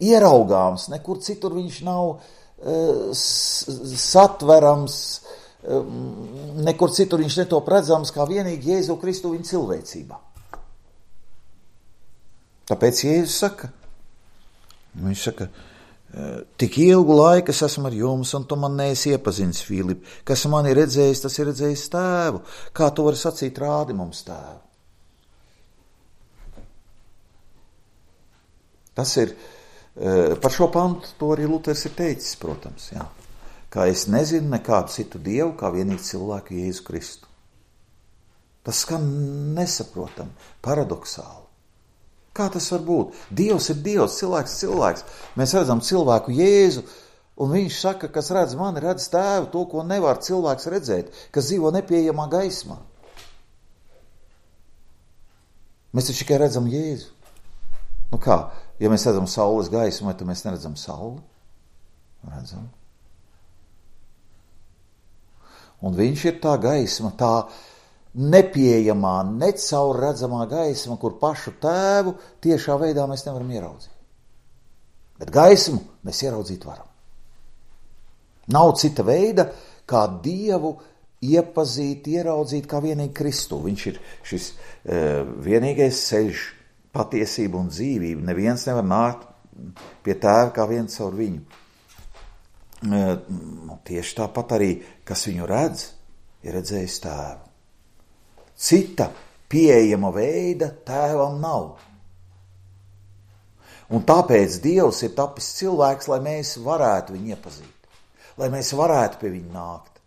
ieraugāms, nekur citur viņš nav uh, satverams, uh, nekur citur viņš netop redzams kā vienīgi Jēzu Kristu viņa cilvēcībā. Tāpēc Jēzus saka, viņš saka, tik ilgu laiku es esmu ar jums, un tu man neesi iepazinis, Filip. Kas man ir redzējis, tas ir redzējis tēvu. Kā tu vari sacīt, rādi mums tēvu? Tas ir, par šo pantu to arī Luters ir teicis, protams, jā. Kā es nezinu nekādu citu dievu, kā vienīgi cilvēku Jēzu Kristu. Tas skan nesaprotam, paradoksāli. Kā tas var būt? Dievs ir Dievs, cilvēks ir cilvēks. Mēs redzam cilvēku Jēzu, un viņš saka, kas redz mani, redz tēvu, to, ko nevar cilvēks redzēt, kas dzīvo nepieejamā gaismā. Mēs taču tikai redzam Jēzu. Nu kā, ja mēs redzam saules gaismu, vai tad mēs neredzam sauli? Redzam. Un viņš ir tā gaisma, tā nepieejamā, necaurredzamā gaisma, kur pašu tēvu tiešā veidā mēs nevaram ieraudzīt. Bet gaismu mēs ieraudzīt varam. Nav cita veida, kā Dievu iepazīt, ieraudzīt kā vienīgi Kristu. Viņš ir šis e, vienīgais ceļš, patiesība un dzīvība. Neviens nevar nākt pie tēva kā viens caur viņu. E, tieši tāpat arī, kas viņu redz, ir redzējis tēvu. Cita pieejama veida tēvam nav. Un tāpēc Dievs ir tapis cilvēks, lai mēs varētu viņu iepazīt, lai mēs varētu pie viņa nākt.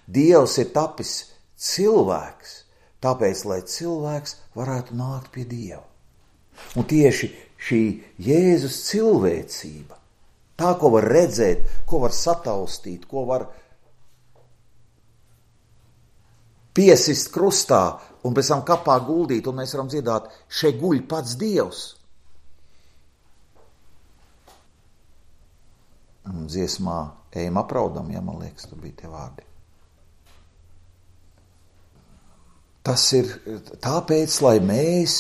Dievs ir tapis cilvēks, tāpēc, lai cilvēks varētu nākt pie Dieva. Un tieši šī Jēzus cilvēcība, tā, ko var redzēt, ko var sataustīt, ko var piesist krustā un pēc tam kapā guldīt, un mēs varam dziedāt, šeit guļ pats Dievs. Dziesmā ejam apraudam, ja man liekas, tur bija tie vārdi. Tas ir tāpēc, lai mēs,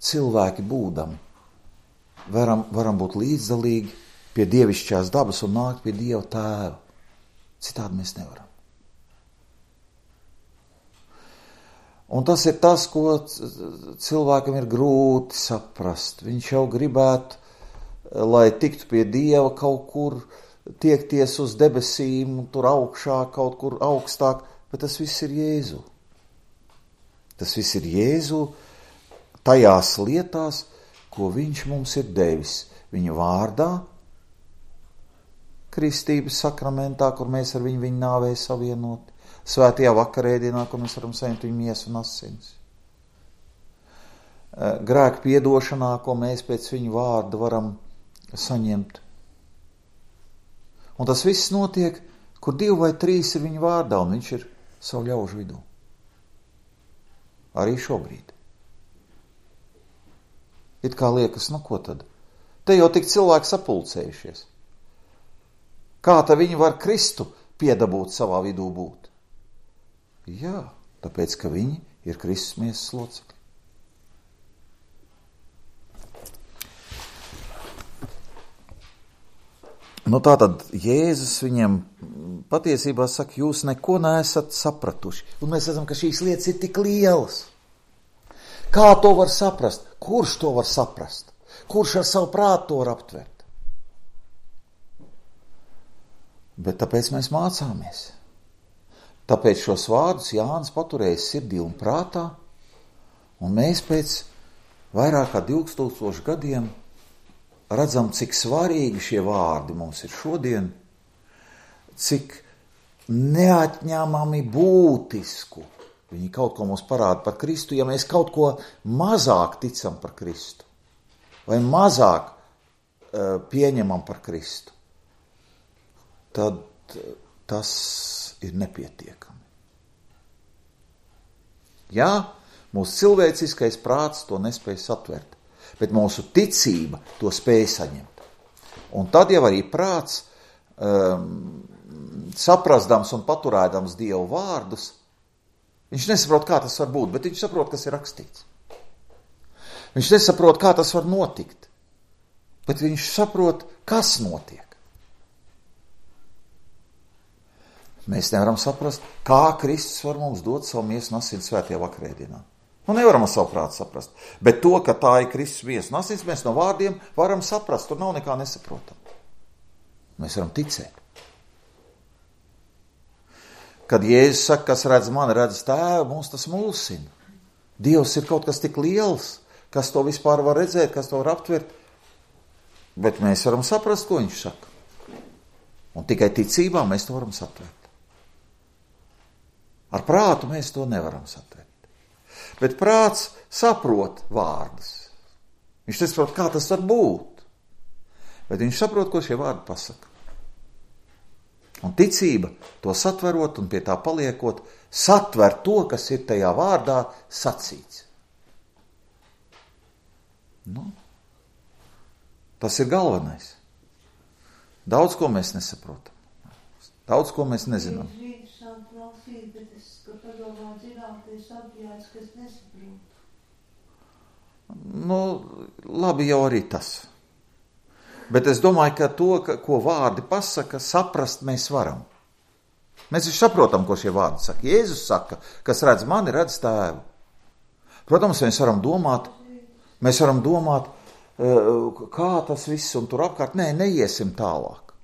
cilvēki būdami, varam, varam būt līdzdalīgi pie dievišķās dabas un nākt pie Dieva tēva. Citādi mēs nevaram. Un tas ir tas, ko cilvēkam ir grūti saprast. Viņš jau gribētu, lai tiktu pie Dieva kaut kur, tiekties uz debesīm, tur augšā, kaut kur augstāk, bet tas viss ir Jēzu. Tas viss ir Jēzu tajās lietās, ko viņš mums ir devis. Viņa vārdā, kristības sakramentā, kur mēs ar viņu viņa nāvē savienoti. Svētajā vakarēdienā, kur mēs varam saņemt viņu miesu un asins. Grēku piedošanā, ko mēs pēc viņu vārda varam saņemt. Un tas viss notiek, kur divi vai trīs ir viņu vārdā, un viņš ir savu ļaužu vidū. Arī šobrīd. It kā liekas, nu ko tad? Te jau tik cilvēki sapulcējušies. Kā tad viņi var Kristu piedabūt savā vidū būt? Jā, tāpēc, ka viņi ir Kristus miesas locekļi. Nu tātad Jēzus viņiem patiesībā saka, jūs neko neesat sapratuši. Un mēs redzam, ka šīs lietas ir tik lielas. Kā to var saprast? Kurš to var saprast? Kurš ar savu prātu to var aptvert? Bet tāpēc mēs mācāmies. Tāpēc šos vārdus Jānis paturēja sirdī un prātā, un mēs pēc vairāk kā divtūkstošu gadiem redzam, cik svarīgi šie vārdi mums ir šodien, cik neatņemami būtisku viņi kaut ko mums parāda par Kristu, ja mēs kaut ko mazāk ticam par Kristu, vai mazāk uh, pieņemam par Kristu, tad tas ir nepietiekami. Jā, mūsu cilvēciskais prāts to nespēj satvert, bet mūsu ticība to spēj saņemt. Un tad jau arī prāts, um, saprastams un paturēdams Dievu vārdus, viņš nesaprot, kā tas var būt, bet viņš saprot, kas ir rakstīts. Viņš nesaprot, kā tas var notikt, bet viņš saprot, kas notiek. Mēs nevaram saprast, kā Kristus var mums dot savu miesu un asins svētajā vakarēdienā. Nu, nevaram ar savu prātu saprast. Bet to, ka tā ir Kristus miesu un asins, mēs no vārdiem varam saprast. Tur nav nekā nesaprotam. Mēs varam ticēt. Kad Jēzus saka, kas redz mani, redz tēvu, mums tas mulsina. Dievs ir kaut kas tik liels, kas to vispār var redzēt, kas to var aptvert. Bet mēs varam saprast, ko viņš saka. Un tikai ticībā mēs to varam satvert. Ar prātu mēs to nevaram satvert. Bet prāts saprot vārdus. Viņš nesaprot, kā tas var būt. Bet viņš saprot, ko šie vārdi pasaka. Un ticība to satverot un pie tā paliekot, satver to, kas ir tajā vārdā sacīts. Nu, tas ir galvenais. Daudz ko mēs nesaprotam. Daudz ko mēs nezinām. Nu, labi jau arī tas. Bet es domāju, ka to, ka, ko vārdi pasaka, saprast mēs varam. Mēs jau saprotam, ko šie vārdi saka. Jēzus saka, kas redz mani, redz tēvu. Protams, mēs varam domāt, mēs varam domāt, kā tas viss un tur apkārt. Nē, neiesim tālāk.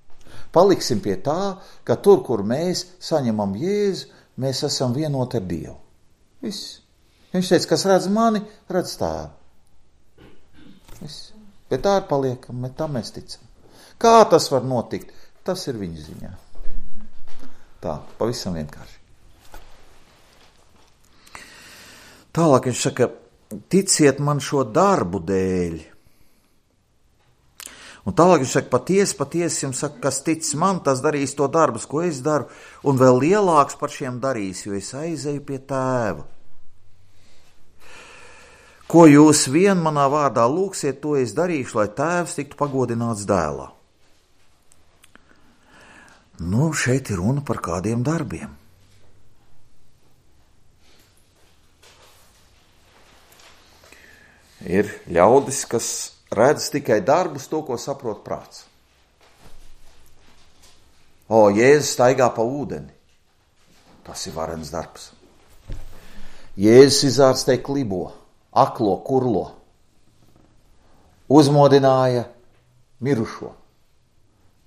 Paliksim pie tā, ka tur, kur mēs saņemam Jēzu, mēs esam vienoti ar Dievu. Viss. Viņš teica, kas redz mani, redz tēvu. Viss. Bet tā ir paliekam, bet tā mēs ticam. Kā tas var notikt? Tas ir viņa ziņā. Tā, pavisam vienkārši. Tālāk viņš saka, ticiet man šo darbu dēļ. Un tālāk viņš saka, patiesi, patiesi jums saka, kas tic man, tas darīs to darbus, ko es daru, un vēl lielāks par šiem darīs, jo es aizeju pie tēva. Ko jūs vien manā vārdā lūgsiet, to es darīšu, lai tēvs tiktu pagodināts dēlā. Nu, šeit ir runa par kādiem darbiem. Ir ļaudis, kas redz tikai darbus, to, ko saprot prāts. O, Jēzus staigā pa ūdeni. Tas ir varens darbs. Jēzus izārstē klibo, aklo, kurlo. Uzmodināja mirušo.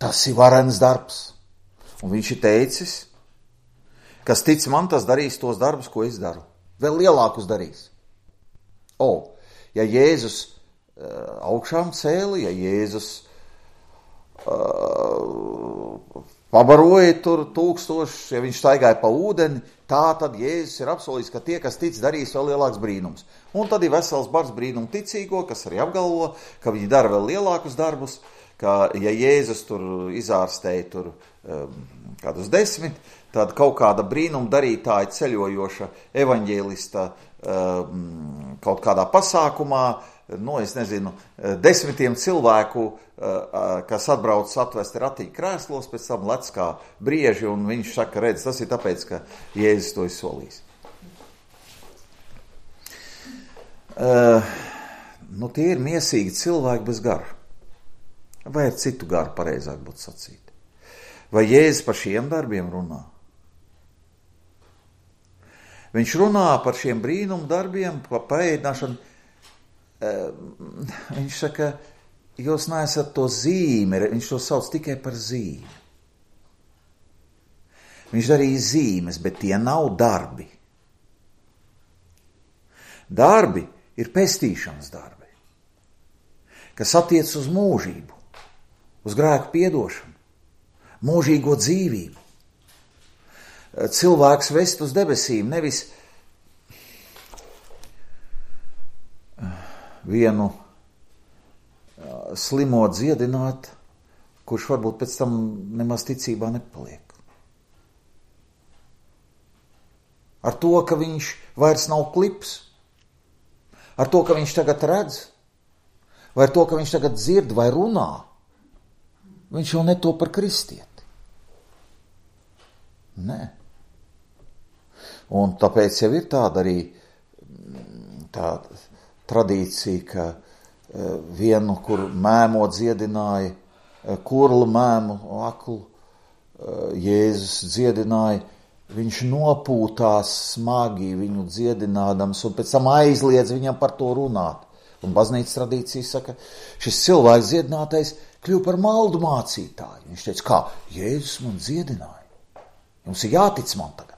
Tas ir varens darbs. Un viņš ir teicis, kas tic man, tas darīs tos darbus, ko es daru. Vēl lielākus darīs. O, ja Jēzus uh, augšām cēli, ja Jēzus uh, pabaroja tur tūkstoši, ja viņš staigāja pa ūdeni, tā tad Jēzus ir apsolījis, ka tie, kas tic, darīs vēl lielāks brīnums. Un tad ir vesels bars brīnumu ticīgo, kas arī apgalvo, ka viņi dara vēl lielākus darbus, ka ja Jēzus tur izārstēja tur um, kādus desmit, tad kaut kāda brīnuma darītāja ceļojoša evaņģēlista um, kaut kādā pasākumā, nu, es nezinu, desmitiem cilvēku, uh, kas atbrauc atvesti ratiņu krēslos, pēc tam lec kā brieži, un viņš saka, redz, tas ir tāpēc, ka Jēzus to ir solījis. Uh, nu, tie ir miesīgi cilvēki bez gara. Vai ar citu garu pareizāk būtu sacīt? Vai Jēzus par šiem darbiem runā? Viņš runā par šiem brīnumu darbiem, par paēdināšanu. Viņš saka, jūs neesat to zīmi, viņš to sauc tikai par zīmi. Viņš darīja zīmes, bet tie nav darbi. Darbi ir pestīšanas darbi. kas attiec uz mūžību, uz grēku piedošanu, mūžīgo dzīvību. Cilvēks vest uz debesīm, nevis vienu slimo dziedināt, kurš varbūt pēc tam nemaz ticībā nepaliek. Ar to, ka viņš vairs nav klips, ar to, ka viņš tagad redz, vai ar to, ka viņš tagad dzird vai runā, viņš jau netop par kristieti. Nē. Un tāpēc jau ir tāda arī tāda tradīcija, ka vienu, kur mēmo dziedināja, kurlu mēmu, aklu, Jēzus dziedināja, viņš nopūtās smagi viņu dziedinādams un pēc tam aizliedz viņam par to runāt. Un baznīcas tradīcija saka, šis cilvēks dziedinātais kļuva par maldu mācītāju. Viņš teica, kā Jēzus man dziedināja. Jums ir jātic man tagad.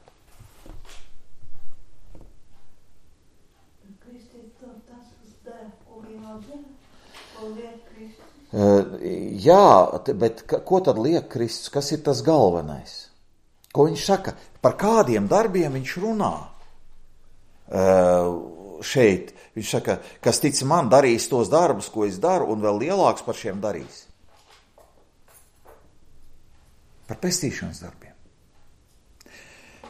Uh, jā, bet ko tad liek Kristus? Kas ir tas galvenais? Ko viņš saka? Par kādiem darbiem viņš runā? Uh, šeit viņš saka, kas tic man, darīs tos darbus, ko es daru, un vēl lielāks par šiem darīs. Par pestīšanas darbiem.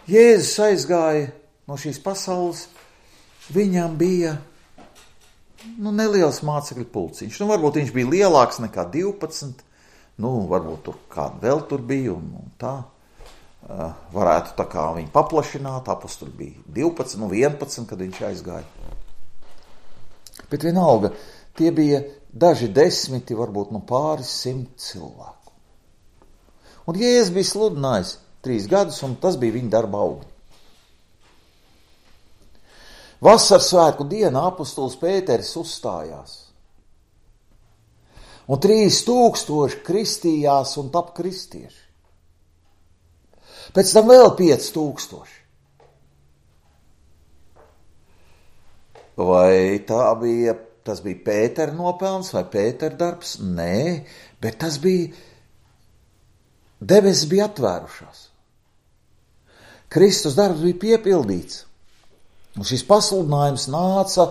Jēzus aizgāja no šīs pasaules, viņam bija nu, neliels mācekļu pulciņš. Nu, varbūt viņš bija lielāks nekā divpadsmit, nu, varbūt tur kāda vēl tur bija, un, un tā. Uh, varētu tā kā viņu paplašināt, apostuli bija divpadsmit, nu, vienpadsmit, kad viņš aizgāja. Bet vienalga, tie bija daži desmiti, varbūt nu pāris simt cilvēku. Un Jēzus bija sludinājis trīs gadus, un tas bija viņa darba augļi. Vasaras svētku dienā apostols Pēteris uzstājās. Un trīs tūkstoši kristījās un tap kristieši. Pēc tam vēl pieci tūkstoši. Vai tā bija, tas bija Pētera nopelns vai Pētera darbs? Nē, bet tas bija, debesis bija atvērušās. Kristus darbs bija piepildīts. Un šis pasludinājums nāca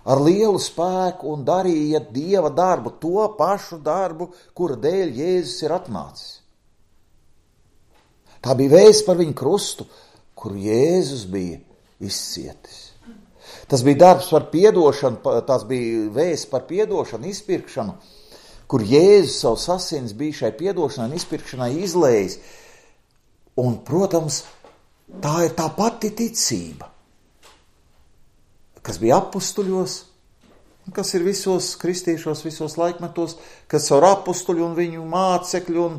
ar lielu spēku un darīja Dieva darbu, to pašu darbu, kura dēļ Jēzus ir atnācis. Tā bija vēsts par viņu krustu, kuru Jēzus bija izcietis. Tas bija darbs par piedošanu, tas bija vēsts par piedošanu, izpirkšanu, kur Jēzus savus asins bija šai piedošanai un izpirkšanai izlējis. Un, protams, tā ir tā pati ticība, kas bija apustuļos, kas ir visos kristiešos, visos laikmetos, kas caur apustuļu un viņu mācekļu un,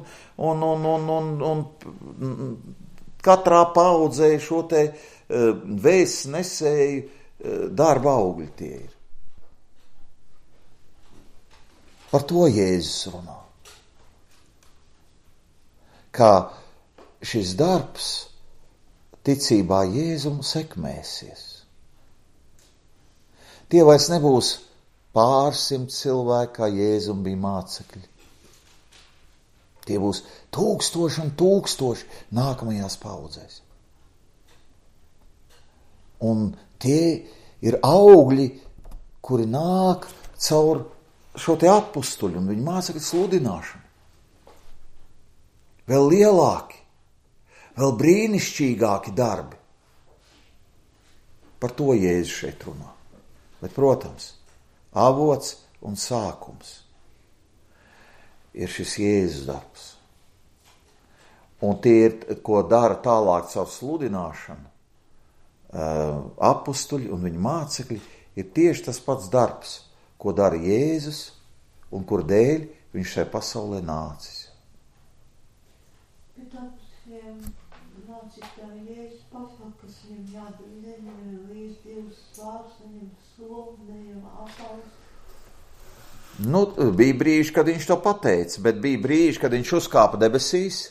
un, un, un, un, un katrā paudzē šo te uh, vēsts nesēju uh, darba augļi tie ir. Par to Jēzus runā. Kā šis darbs ticībā Jēzum sekmēsies. Tie vairs nebūs pārsimt cilvēki, kā Jēzum bija mācekļi. Tie būs tūkstoši un tūkstoši nākamajās paudzēs. Un tie ir augļi, kuri nāk caur šo te apustuļu un viņu mācekļu sludināšanu. Vēl lielāki, vēl brīnišķīgāki darbi. Par to Jēzus šeit runā. Bet, protams, avots un sākums ir šis Jēzus darbs. Un tie ir, ko dara tālāk caur sludināšanu, apustuļi un viņu mācekļi, ir tieši tas pats darbs, ko dara Jēzus un kur dēļ viņš šai pasaulē nācis. Bet apusiem mācītāji Jēzus pasaka, kas viņam jādara, neņem līdz Dievs svārs, neņem soli, neņem apals. Nu, bija brīži, kad viņš to pateica, bet bija brīži, kad viņš uzkāpa debesīs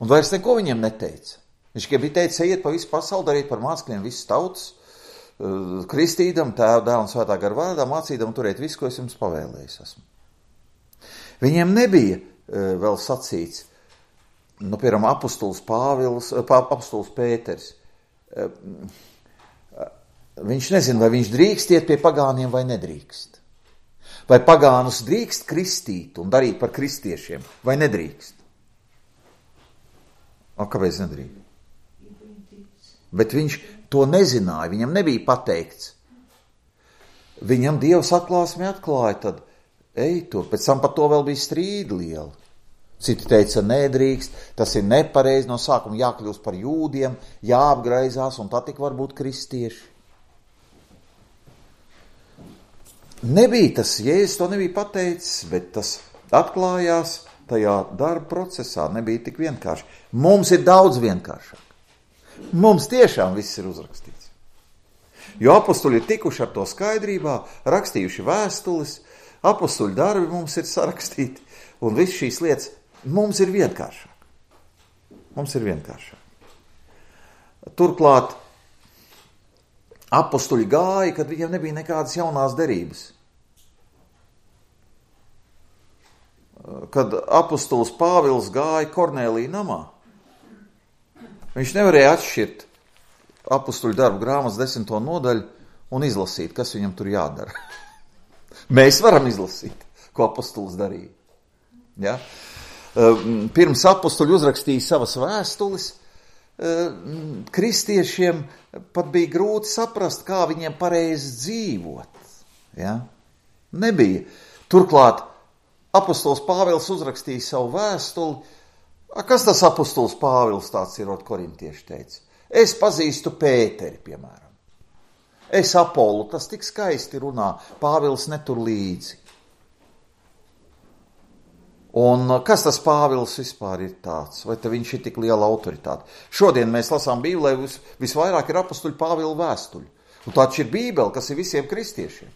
un vairs neko viņiem neteica. Viņš tikai bija teicis, ejiet pa visu pasauli, dariet par mācekļiem visas tautas, kristīdam, Tēva, Dēla un Svētā gara vārdā, mācīdam turēt visu, ko es jums pavēlējis esmu. Viņiem nebija vēl sacīts, nu, piemēram, apostols Pāvils, apostols Pēters. Viņš nezina, vai viņš drīkst iet pie pagāniem vai nedrīkst. Vai pagānus drīkst kristīt un darīt par kristiešiem, vai nedrīkst? O, kāpēc nedrīkst? Bet viņš to nezināja, viņam nebija pateikts. Viņam Dievs atklāsmi atklāja, tad ej tur, pēc tam par to vēl bija strīdi lieli. Citi teica, nedrīkst, tas ir nepareizi, no sākuma jākļūst par jūdiem, jāapgraizās, un tā tik var būt kristieši. Nebija tas, Jēzus to nebija pateicis, bet tas atklājās tajā darba procesā, nebija tik vienkārši. Mums ir daudz vienkāršāk. Mums tiešām viss ir uzrakstīts. Jo apostuļi ir tikuši ar to skaidrībā, rakstījuši vēstules, apostuļu darbi mums ir sarakstīti, un viss šīs lietas mums ir vienkāršāk. Mums ir vienkāršāk. Turklāt apostuļi gāja, kad viņiem nebija nekādas jaunās derības. Kad apostols Pāvils gāja Kornēlija namā, viņš nevarēja atšķirt apostuļu darbu grāmatas desmito nodaļu un izlasīt, kas viņam tur jādara. Mēs varam izlasīt, ko apostols darīja. Ja? Pirms apostuļi uzrakstīja savas vēstules, kristiešiem pat bija grūti saprast, kā viņiem pareizi dzīvot. Ja? Nebija. Turklāt apostols Pāvils uzrakstīja savu vēstuli. Kas tas apostols Pāvils tāds ir, ot korintieši teica? Es pazīstu Pēteri, piemēram. Es Apolu, tas tik skaisti runā, Pāvils netur līdzi. Un kas tas Pāvils vispār ir tāds? Vai te viņš ir tik liela autoritāte? Šodien mēs lasām Bībelē, vis, visvairāk ir apostuļu Pāvila vēstuļu. Un tāds ir Bībele, kas ir visiem kristiešiem.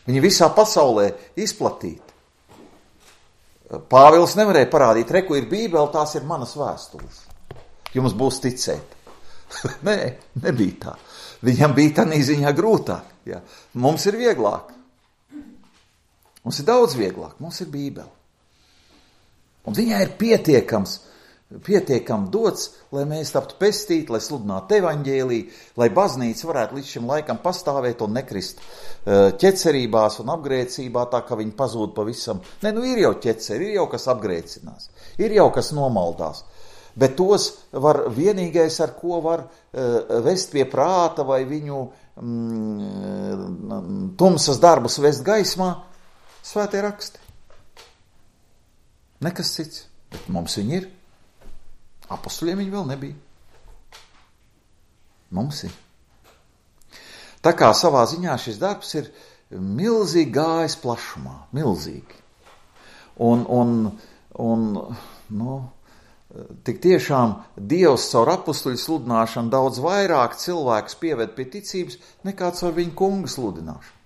Viņi visā pasaulē izplatīti. Pāvils nevarēja parādīt, reku ir Bībele, tās ir manas vēstules. Jums būs ticēt. Nē, nebija tā. Viņam bija tā ziņā grūtāk. Ja. Mums ir vieglāk. Mums ir daudz vieglāk. Mums ir Bībele. Un viņai ir pietiekams, pietiekam dots, lai mēs taptu pestīti, lai sludinātu evaņģēliju, lai baznīca varētu līdz šim laikam pastāvēt un nekrist ķecerībās un apgrēcībā, tā ka viņi pazūd pavisam. Ne, nu ir jau ķeceri, ir jau kas apgrēcinās, ir jau kas nomaldās. Bet tos var vienīgais, ar ko var uh, vest pie prāta vai viņu mm, tumsas darbus vest gaismā, svētie raksti. Nekas cits, bet mums viņi ir. Apostuļiem viņi vēl nebija. Mums ir. Tā kā savā ziņā šis darbs ir milzīgi gājis plašumā, milzīgi. Un, un, un nu, tik tiešām Dievs caur apostuļu sludināšanu daudz vairāk cilvēkus pieved pie ticības nekā caur viņu kunga sludināšanu.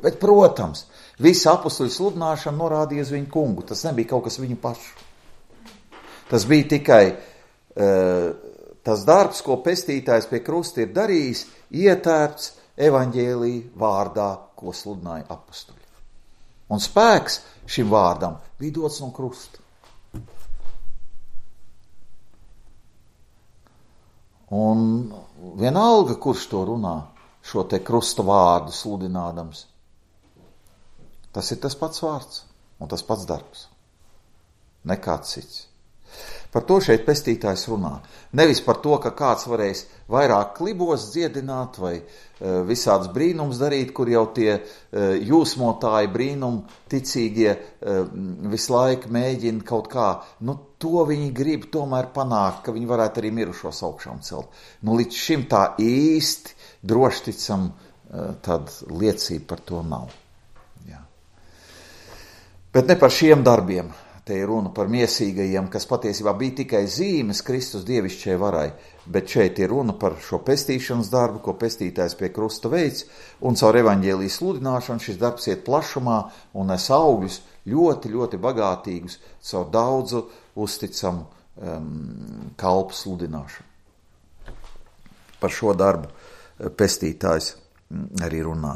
Bet, protams, visa apostuļu sludināšana norādīja uz viņu kungu. Tas nebija kaut kas viņu pašu. Tas bija tikai uh, tas darbs, ko pestītājs pie krusta ir darījis, ietērpts evaņģēlija vārdā, ko sludināja apostuļi. Un spēks šim vārdam bija dots no krusta. Un vienalga, kurš to runā, šo te krusta vārdu sludinādams, tas ir tas pats vārds un tas pats darbs. Nekāds cits. Par to šeit pestītājs runā. Nevis par to, ka kāds varēs vairāk klibos dziedināt vai uh, visāds brīnums darīt, kur jau tie uh, jūsmotāji brīnum ticīgie uh, visu laiku mēģina kaut kā. Nu, to viņi grib tomēr panākt, ka viņi varētu arī mirušos augšām celt. Nu, līdz šim tā īsti drošticam uh, tad liecība par to nav. Jā. Bet ne par šiem darbiem. Te ir runa par miesīgajiem, kas patiesībā bija tikai zīmes Kristus dievišķai varai, bet šeit ir runa par šo pestīšanas darbu, ko pestītājs pie krusta veids, un caur evaņģēlijas sludināšanu šis darbs iet plašumā un nes augļus ļoti, ļoti bagātīgus caur daudzu uzticamu um, kalpu sludināšanu. Par šo darbu pestītājs arī runā.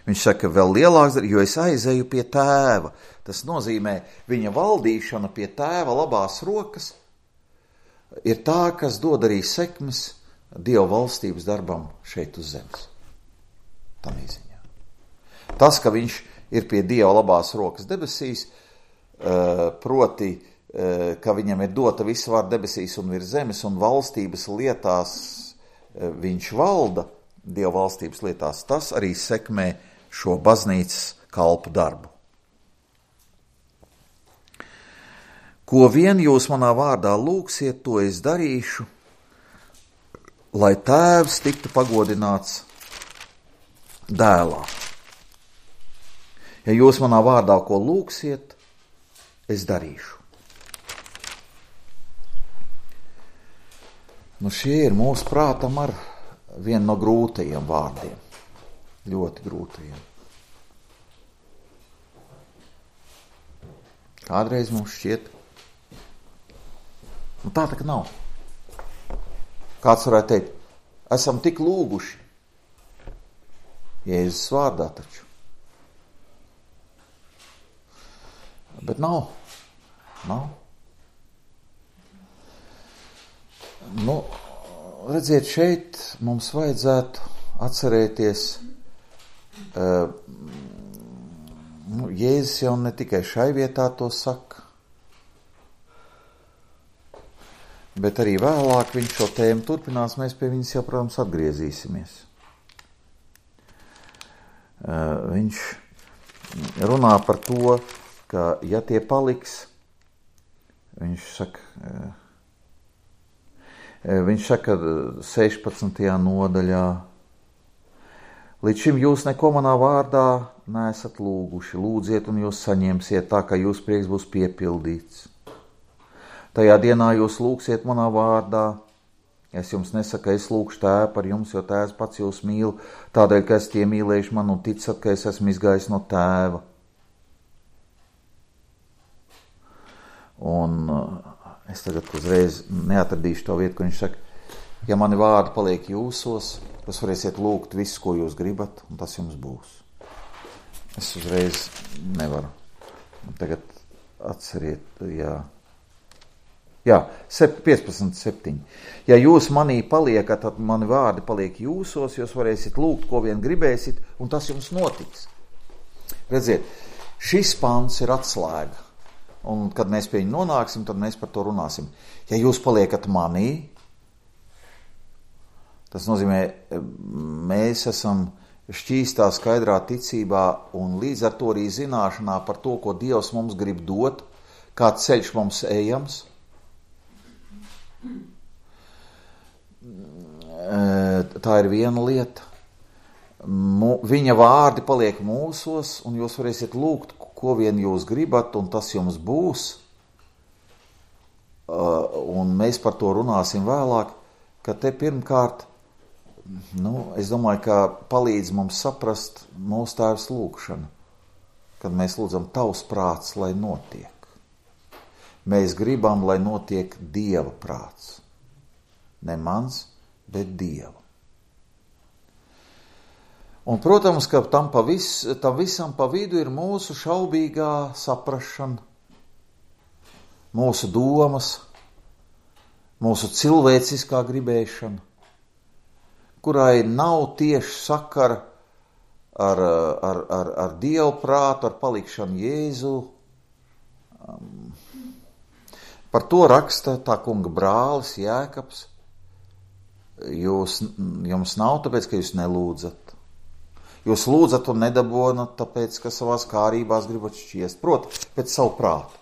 Viņš saka, vēl lielāks, jo es aizeju pie tēva. Tas nozīmē, viņa valdīšana pie tēva labās rokas ir tā, kas dod arī sekmes Dieva valstības darbam šeit uz zemes. Tā mīziņā. Tas, ka viņš ir pie Dieva labās rokas debesīs, proti, ka viņam ir dota visa vara debesīs un virs zemes un valstības lietās viņš valda, Dieva valstības lietās, tas arī sekmē šo baznīcas kalpu darbu. Ko vien jūs manā vārdā lūgsiet, to es darīšu, lai tēvs tiktu pagodināts dēlā. Ja jūs manā vārdā ko lūgsiet, es darīšu. Nu, šie ir mūsu prātam ar vienu no grūtajiem vārdiem. Ļoti grūtajiem. Kādreiz mums šķiet, nu tā tā ka nav. Kāds varētu teikt, esam tik lūguši. Jēzus vārdā taču. Bet nav. Nav. Nu, redziet, šeit mums vajadzētu atcerēties, uh, nu, Jēzus jau ne tikai šai vietā to saka, bet arī vēlāk viņš šo tēmu turpinās, mēs pie viņas jau, protams, atgriezīsimies. Uh, viņš runā par to, ka ja tie paliks, viņš saka, uh, viņš saka sešpadsmitajā nodaļā, līdz šim jūs neko manā vārdā neesat lūguši, lūdziet un jūs saņemsiet tā, ka jūs prieks būs piepildīts. Tajā dienā jūs lūgsiet manā vārdā. Es jums nesaku, es lūgšu tēvu par jums, jo tēvs pats jūs mīl, tādēļ, ka esat iemīlējuši man un ticat, ka es esmu izgājis no tēva. Un es tagad uzreiz neatradīšu to vietu, kur viņš saka, ja mani vārdi paliek jūsos, jūs varēsiet lūgt visu, ko jūs gribat, un tas jums būs. Es uzreiz nevaru. Tagad atceriet, jā. Jā, piecpadsmit septiņi. Ja jūs manī paliekat, tad mani vārdi paliek jūsos, jūs varēsiet lūgt, ko vien gribēsit, un tas jums notiks. Redziet, šis pants ir atslēga, un kad mēs pie viņa nonāksim, tad mēs par to runāsim. Ja jūs paliekat manī, tas nozīmē, mēs esam šķīstā, skaidrā ticībā, un līdz ar to arī zināšanā par to, ko Dievs mums grib dot, kāds ceļš mums ejams. Tā ir viena lieta. Viņa vārdi paliek mūsos, un jūs varēsiet lūgt, ko vien jūs gribat, un tas jums būs. Un mēs par to runāsim vēlāk, ka te pirmkārt, nu, es domāju, ka palīdz mums saprast mūsu Tēvs lūgšanu, kad mēs lūdzam tavs prāts, lai notiek. Mēs gribam, lai notiek Dieva prāts. Ne mans, bet Dieva. Un, protams, ka tam, pa vis, tam visam pa vidu ir mūsu šaubīgā saprašana, mūsu domas, mūsu cilvēciskā gribēšana, kurai nav tieši sakara ar, ar, ar, ar Dievu prātu, ar palikšanu Jēzu. Um, Par to raksta tā kunga brālis Jēkabs. Jūs, jums nav tāpēc, ka jūs nelūdzat. Jūs lūdzat un nedabonat, tāpēc, ka savās kārībās gribat šķiest. Proti, pēc savu prātu.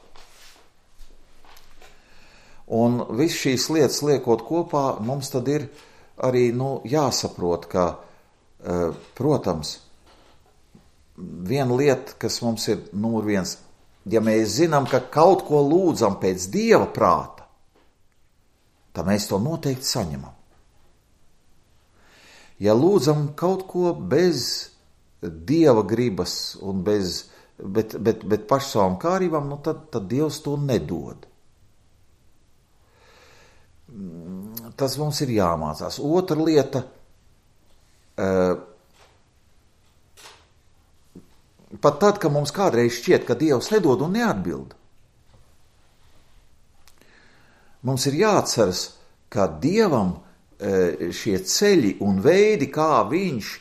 Un viss šīs lietas liekot kopā, mums tad ir arī, nu, jāsaprot, ka, protams, viena lieta, kas mums ir numur viens, ja mēs zinām, ka kaut ko lūdzam pēc Dieva prāta, tad mēs to noteikti saņemam. Ja lūdzam kaut ko bez Dieva gribas un bez, bet, bet, bet pašu savām kārībām, nu tad, tad Dievs to nedod. Tas mums ir jāmācās. Otra lieta, uh, pat tad, ka mums kādreiz šķiet, ka Dievs nedod un neatbild, mums ir jāatceras, ka Dievam uh, šie ceļi un veidi, kā viņš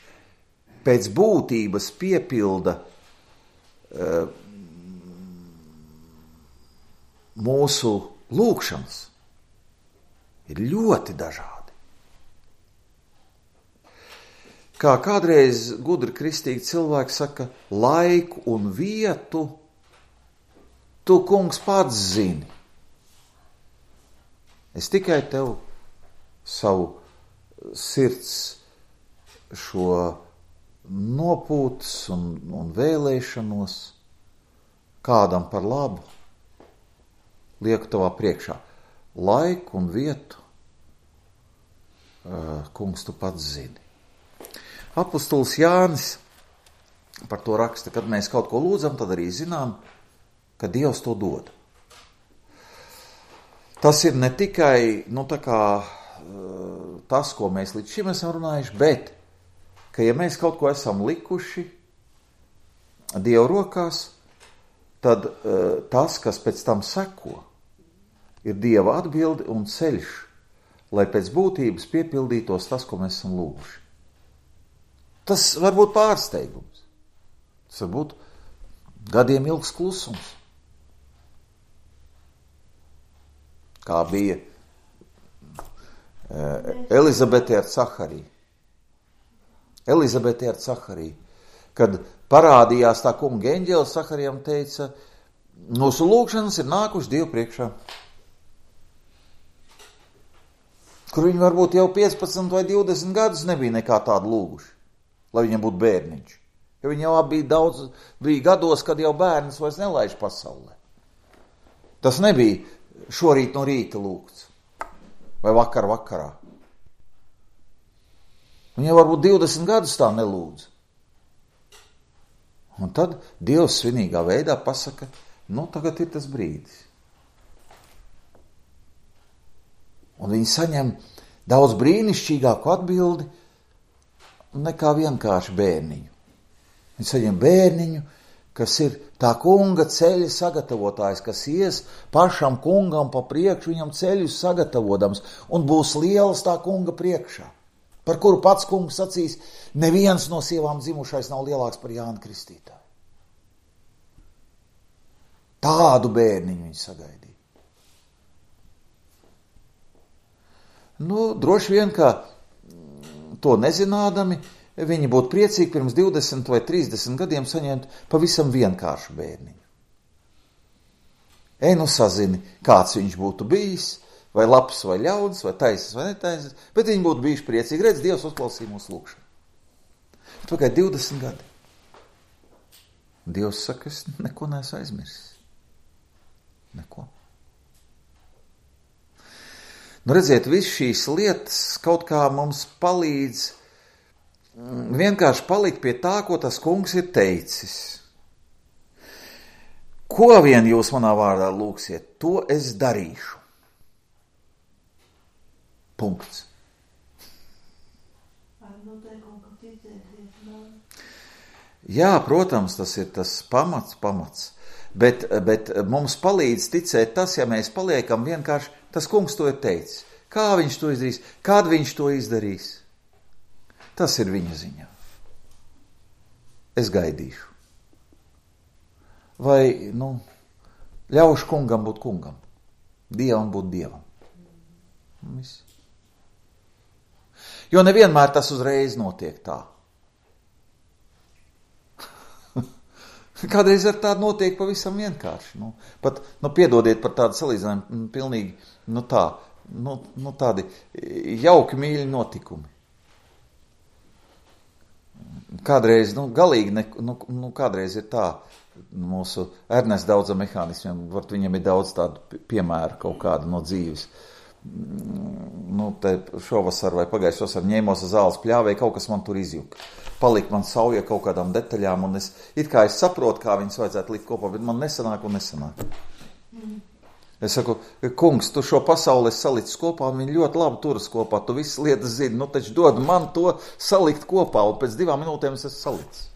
pēc būtības piepilda uh, mūsu lūgšanas, ir ļoti dažādi. Kā kādreiz gudri kristīgi cilvēki saka, laiku un vietu tu, kungs, pats zini. Es tikai tev savu sirds šo nopūtas un, un vēlēšanos kādam par labu lieku tavā priekšā. Laiku un vietu, uh, kungs, tu pats zini. Apostols Jānis par to raksta, kad mēs kaut ko lūdzam, tad arī zinām, ka Dievs to dod. Tas ir ne tikai, nu, tā kā uh, tas, ko mēs līdz šim esam runājuši, bet, ka ja mēs kaut ko esam likuši Dieva rokās, tad uh, tas, kas pēc tam seko, ir Dieva atbildi un ceļš, lai pēc būtības piepildītos tas, ko mēs esam lūguši. Tas var būt pārsteigums. Tas var būt gadiem ilgs klusums. Kā bija uh, Elizabete ar Cahariju. Elizabete ar Cahariju. Kad parādījās tā kunga eņģelis, Caharijam teica, mūsu lūgšanas ir nākuši Dievu priekšā. Kur viņi varbūt jau piecpadsmit vai divdesmit gadus nebija nekā tādu lūguši, lai viņam būtu bērniņš. Jo viņi jau bija daudz, bija gados, kad jau bērns vairs nelaiž pasaulē. Tas nebija šorīt no rīta lūgts, vai vakar vakarā. Viņi jau varbūt divdesmit gadus tā nelūdz. Un tad Dievs svinīgā veidā pasaka, nu tagad ir tas brīdis. Un viņi saņem daudz brīnišķīgāku atbildi nekā vienkārši bērniņu. Viņi saņem bērniņu, kas ir tā kunga ceļa sagatavotājs, kas ies pašam kungam pa priekšu, viņam ceļus sagatavotams, un būs liels tā kunga priekšā, par kuru pats kungs sacīs, neviens no sievām dzimušais nav lielāks par Jānu Kristītāju. Tādu bērniņu viņi sagaidīja. Nu, droši vien, ka to nezinādami, viņi būtu priecīgi pirms divdesmit vai trīsdesmit gadiem saņemt pavisam vienkāršu bērniņu. Ej, nu sazini, kāds viņš būtu bijis, vai labs, vai ļauns, vai taisas, vai netaisas, bet viņi būtu bijuši priecīgi. Redz, Dievs uzklausīja mūsu lūgšanu. Tikai divdesmit gadi. Dievs saka, es neko neesmu aizmirsis. Neko. Nu, redziet, viss šīs lietas kaut kā mums palīdz vienkārši palikt pie tā, ko tas kungs ir teicis. Ko vien jūs manā vārdā lūgsiet, to es darīšu. Punkts. Jā, protams, tas ir tas pamats, pamats. Bet, bet mums palīdz ticēt tas, ja mēs paliekam vienkārši, tas kungs to ir teicis. Kā viņš to izdarīs? Kad viņš to izdarīs? Tas ir viņa ziņā. Es gaidīšu. Vai, nu, ļaušu kungam būt kungam. Dievam būt dievam. Viss. Jo nevienmēr tas uzreiz notiek tā. Kādreiz ar tādu notiek pavisam vienkārši. Nu, pat, nu, piedodiet par tādu salīdzinājumu, pilnīgi, nu tā, nu, nu tādi jauki mīļi notikumi. Kādreiz, nu, galīgi, ne, nu, nu, kādreiz ir tā, mūsu Ernesta daudza mehānismiem, vart viņam ir daudz tādu piemēru kaut kādu no dzīves. Nu, te šovasar vai pagājušajā vasar ņēmos uz zāles pļāvēju, kaut kas man tur izjuka. Palika man sauja kaut kādām detaļām, un es, it kā es saprotu, kā viņas vajadzētu likt kopā, bet man nesanāk un nesanāk. Mm. Es saku, kungs, tu šo pasauli salicis kopā, un viņi ļoti labi turas kopā, tu visas lietas zini, nu taču dod man to salikt kopā, un pēc divām minūtēm es esmu salicis.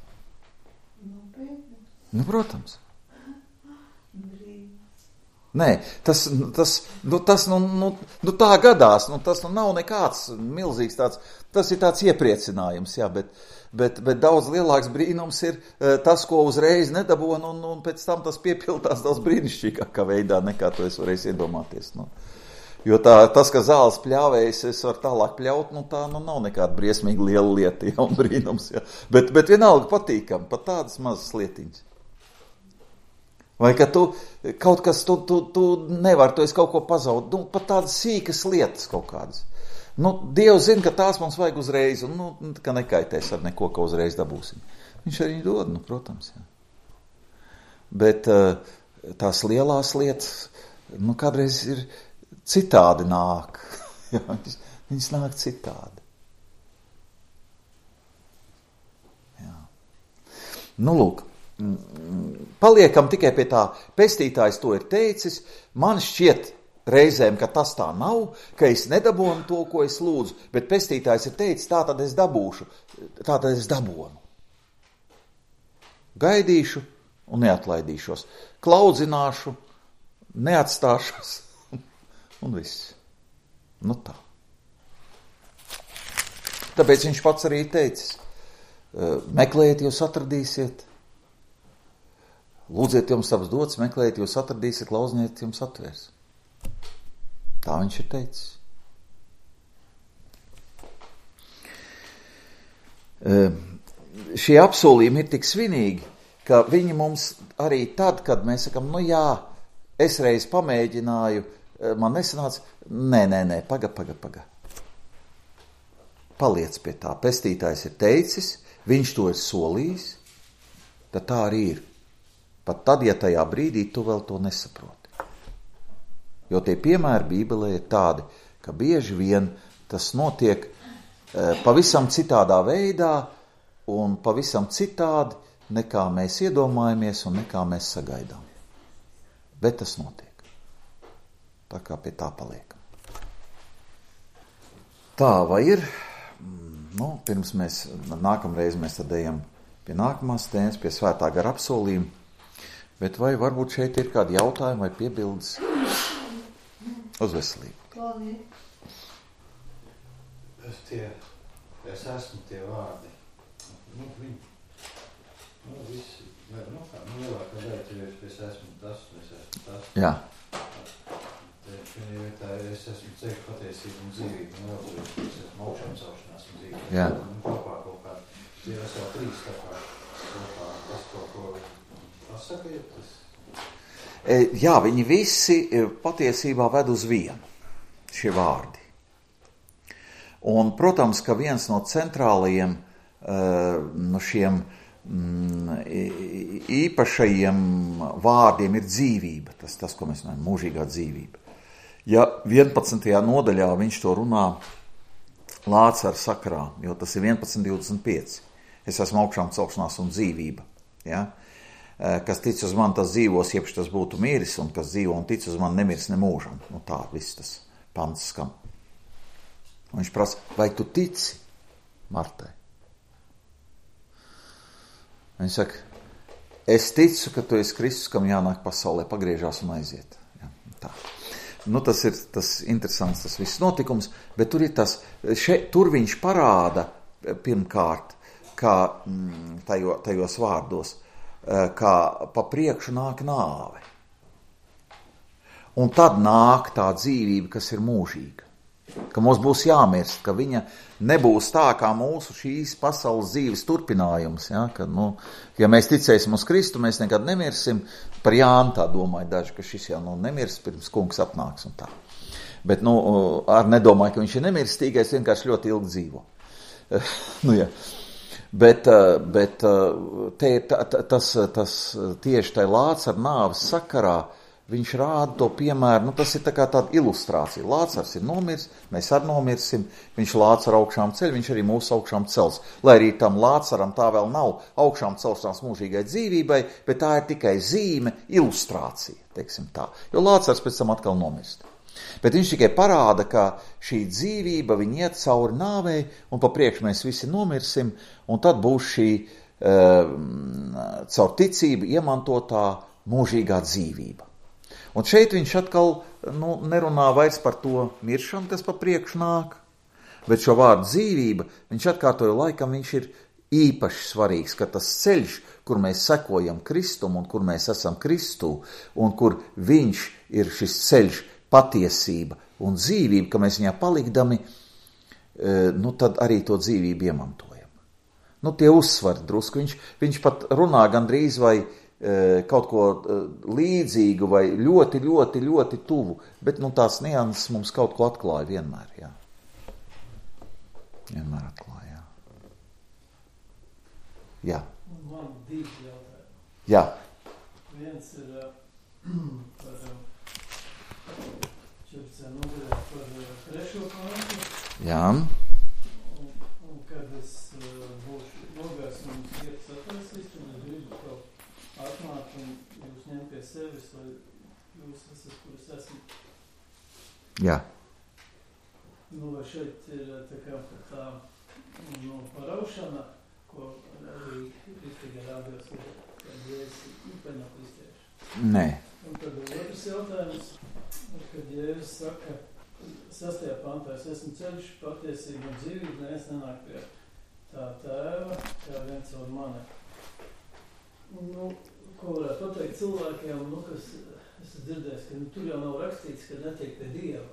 Nu, protams. Nē, tas, tas, nu, tas nu, nu, nu tā gadās, nu, tas nu nav nekāds milzīgs tāds, tas ir tāds iepriecinājums, jā, bet, bet, bet daudz lielāks brīnums ir tas, ko uzreiz nedabon, un, un pēc tam tas piepildās daudz brīnišķīgākā veidā, nekā to es varēju iedomāties, nu. Jo tā, tas, ka zāles pļāvējas, es varu tālāk pļaut, nu tā nu nav nekāda briesmīgi liela lieta, jā, un brīnums, jā, bet, bet vienalga patīkam, pat tādas mazas lietiņas. Vai ka tu kaut kas, tu, tu, tu nevar, tu esi kaut ko pazaud, nu, pat tādas sīkas lietas kaut kādas. Nu, Dievs zina, ka tās mums vajag uzreiz, un, nu, ka nekaitēs ar neko, ka uzreiz dabūsim. Viņš arī dod, nu, protams, jā. Bet tās lielās lietas, nu, kādreiz ir citādi nāk. Jā, viņas nāk citādi. Jā. Nu, lūk. Paliekam tikai pie tā, pestītājs to ir teicis, man šķiet reizēm, ka tas tā nav, ka es nedabonu to, ko es lūdzu, bet pestītājs ir teicis, tā tad es dabūšu, tā tad es dabonu. Gaidīšu un neatlaidīšos, klaudzināšu, neatstāšos un viss. Nu tā. Tāpēc viņš pats arī teicis, meklējiet, jūs atradīsiet, lūdziet, jums taps dots, meklējiet, jūs atradīsiet, klaudziniet, jums atvērs. Tā viņš ir teicis. Šie apsolījumi ir tik svinīgi, ka viņi mums arī tad, kad mēs sakam, nu jā, es reiz pamēģināju, man nesanāca, nē, nē, nē, paga, paga, paga. Paliec pie tā, pestītājs ir teicis, viņš to ir solījis, tad tā arī ir. Pat tad, ja tajā brīdī tu vēl to nesaproti. Jo tie piemēri Bībelē ir tādi, ka bieži vien tas notiek e, pavisam citādā veidā un pavisam citādi, nekā mēs iedomājamies un nekā mēs sagaidām. Bet tas notiek. Tā kā pie tā paliekam. Tā vai ir? Nu, pirms mēs, nākamreiz mēs tad ejam pie nākamās tēmas, pie svētā gara apsolījuma. Bet vai varbūt šeit ir kādi jautājumi vai piebildes uz veselību? Es tie, es esmu tie vārdi. Nu, viņi, nu, visi, ne, nu, kā, nu, lielākā daļa tev es esmu tas, es esmu tas. Jā. Viņa vietā es esmu ceļu patiesību un dzīvību, un vēl es esmu augšām celšanās un dzīvību. Jā. Un kopā kaut kā, tie es vēl trīs tā kā, kopā, tas kaut ko... Tas? Jā, viņi visi patiesībā ved uz vienu, šie vārdi. Un, protams, ka viens no centrālajiem no šiem īpašajiem vārdiem ir dzīvība, tas, tas ko mēs runājam, mūžīgā dzīvība. Ja vienpadsmitajā nodaļā viņš to runā Lācara sakarā, jo tas ir vienpadsmit divdesmit pieci, es esmu augšām celšanās un dzīvība, ja? Kas tic uz mani, tas dzīvos, iepš tas būtu miris, un kas dzīvo un tic uz mani, nemirs ne mūžam. Nu tā, viss tas pants skan. Un viņš prasa, vai tu tici Martai? Viņš saka, es ticu, ka tu esi Kristus, kam jānāk pasaulē, pagriežās un aiziet. Ja, tā. Nu, tas ir tas interesants, tas viss notikums, bet tur ir tas, še, tur viņš parāda pirmkārt, kā mm, tajo, tajos vārdos, kā pa priekšu nāk nāve. Un tad nāk tā dzīvība, kas ir mūžīga. Ka mums būs jāmirst, ka viņa nebūs tā kā mūsu šīs pasaules dzīves turpinājums. Ja, ka, nu, ja mēs ticēsim uz Kristu, mēs nekad nemirsim. Par Jānu tā domāju daži, ka šis jau nu, nemirs, pirms kungs atnāks un tā. Bet nu, ar nedomāju, ka viņš ir nemirstīgais, vienkārši ļoti ilgi dzīvo. nu, ja. Bet, bet te, ta, tas, tas tieši tai Lācara nāves sakarā viņš rāda to piemēru, nu tas ir tā kā tāda ilustrācija. Lācars ir nomirs, mēs arī nomirsim, viņš Lācaru augšām ceļ, viņš arī mūsu augšām cels. Lai arī tam Lācaram tā vēl nav augšām celšanās mūžīgai dzīvībai, bet tā ir tikai zīme, ilustrācija, teiksim tā. Jo Lācars pēc tam atkal nomirst. Bet viņš tikai parāda, ka šī dzīvība, viņa iet cauri nāvei, un pa priekšu mēs visi nomirsim, un tad būs šī uh, caur ticību iemantotā mūžīgā dzīvība. Un šeit viņš atkal nu, nerunā vairs par to miršanu, kas pa priekšu nāk, bet šo vārdu dzīvība, viņš atkārtoja laikam, viņš ir īpaši svarīgs, ka tas ceļš, kur mēs sekojam Kristumu un kur mēs esam Kristū, un kur viņš ir šis ceļš, patiesība un dzīvība, ka mēs viņā palikdami, nu tad arī to dzīvību iemantojam. Nu tie uzsvari drusku, viņš, viņš pat runā gandrīz vai kaut ko līdzīgu vai ļoti, ļoti, ļoti tuvu, bet nu tās nianses mums kaut ko atklāja vienmēr, jā. Vienmēr atklāja, jā. Jā. Man divi jautājumi. Jā. Viens ir par četrpadsmit nodaļā par trešo pantu. Jā. Un, un kad es būšu nogājis un vietas atraisīs, un es gribu kaut atnākt un jūs ņem pie sevis, lai jūs esat, kur es esmu. Jā. Nu, vai šeit ir tā kā tā nu, paraušana, ko arī Kristīgā rādījos, kad Jēzus īpaņā kristieši. Nē. Un tad otrs jautājums, kad Jēzus saka, sastajā pantā, es esmu ceļš, patiesība un dzīvība, neviens nenāk pie tā tēva, kā viens caur mani. Nu, ko varētu pateikt cilvēkiem, nu, kas, es dzirdēju, ka nu, tur jau nav rakstīts, ka netiek pie Dieva.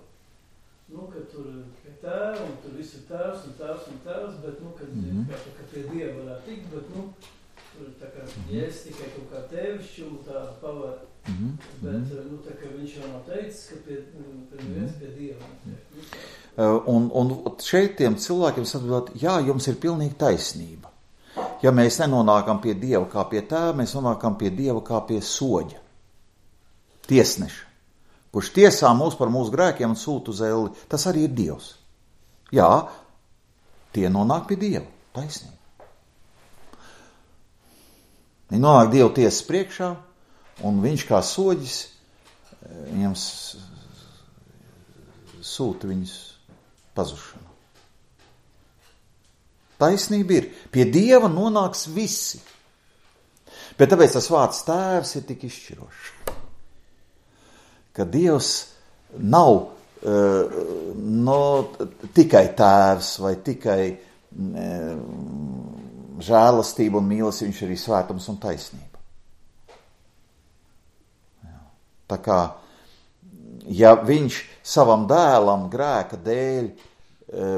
Nu, ka tur pie tēva, un tur viss ir tēvs, un tēvs, un tēvs, bet, nu, kad mm-hmm. kā, ka pie Dieva varētu tikt, bet, nu, tur tā kā mm-hmm. Jēzus tikai kaut kā tevišķumu tādu pavar, mm-hmm. bet, nu, tā kā viņš jau nav teicis, ka pie, pie viens pie Dieva netiek. Nu, un, un šeit tiem cilvēkiem atbildot, jā, jums ir pilnīgi taisnība. Ja mēs nenonākam pie Dieva kā pie tēva, mēs nonākam pie Dieva kā pie soģa, tiesneša, kurš tiesā mūs par mūsu grēkiem un sūta uz elli. Tas arī ir Dievs. Jā, tie nonāk pie Dieva, taisnība. Viņi nonāk Dieva tiesas priekšā, un viņš kā soģis viņam sūta viņus pazušanu. Taisnība ir, pie Dieva nonāks visi. Bet tāpēc tas vārds tēvs ir tik izšķirošs. Ka Dievs nav uh, no, tikai tēvs vai tikai uh, žēlastība un mīlestība, viņš ir arī svētums un taisnība. Jā. Tā kā, ja viņš savam dēlam grēka dēļ,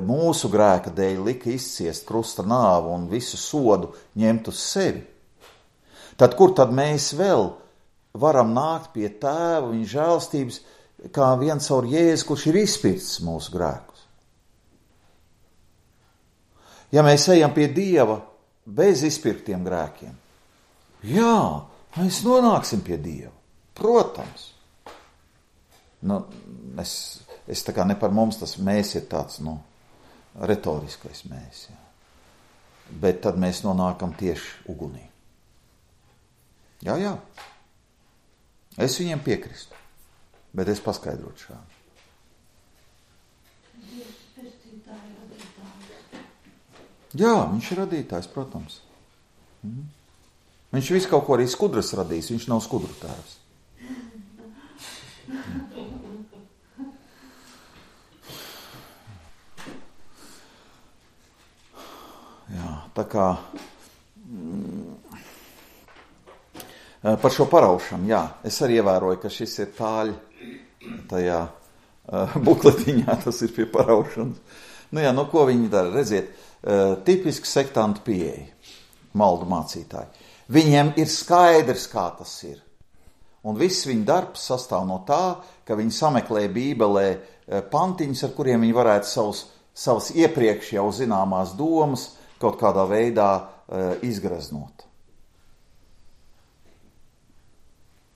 mūsu grēka dēļ lika izciest krusta nāvu un visu sodu ņemt uz sevi, tad kur tad mēs vēl varam nākt pie tēva, viņa žēlstības, kā viens caur Jēzu, kurš ir izpircis mūsu grēkus. Ja mēs ejam pie Dieva bez izpirktiem grēkiem, jā, mēs nonāksim pie Dieva, protams. Nu, es, es tā kā ne par mums, tas mēs ir tāds, nu, retoriskais mēs, jā. Bet tad mēs nonākam tieši ugunī. Jā, jā. Es viņiem piekristu, bet es paskaidrotu šādi. Jā, viņš ir radītājs, protams. Mhm. Viņš visu kaut ko arī skudras radījis, viņš nav skudru tēvs. Jā, tā kā par šo paraušanu, jā, es arī ievēroju, ka šis ir tāļ tajā uh, bukletiņā, tas ir pie paraušanas. Nu jā, nu ko viņi dara, redziet, uh, tipiski sektantu pieeja, maldu mācītāji. Viņiem ir skaidrs, kā tas ir. Un viss viņa darbs sastāv no tā, ka viņi sameklē Bībelē uh, pantiņus, ar kuriem viņi varētu savus, savus iepriekš jau zināmās domas kaut kādā veidā uh, izgraznot.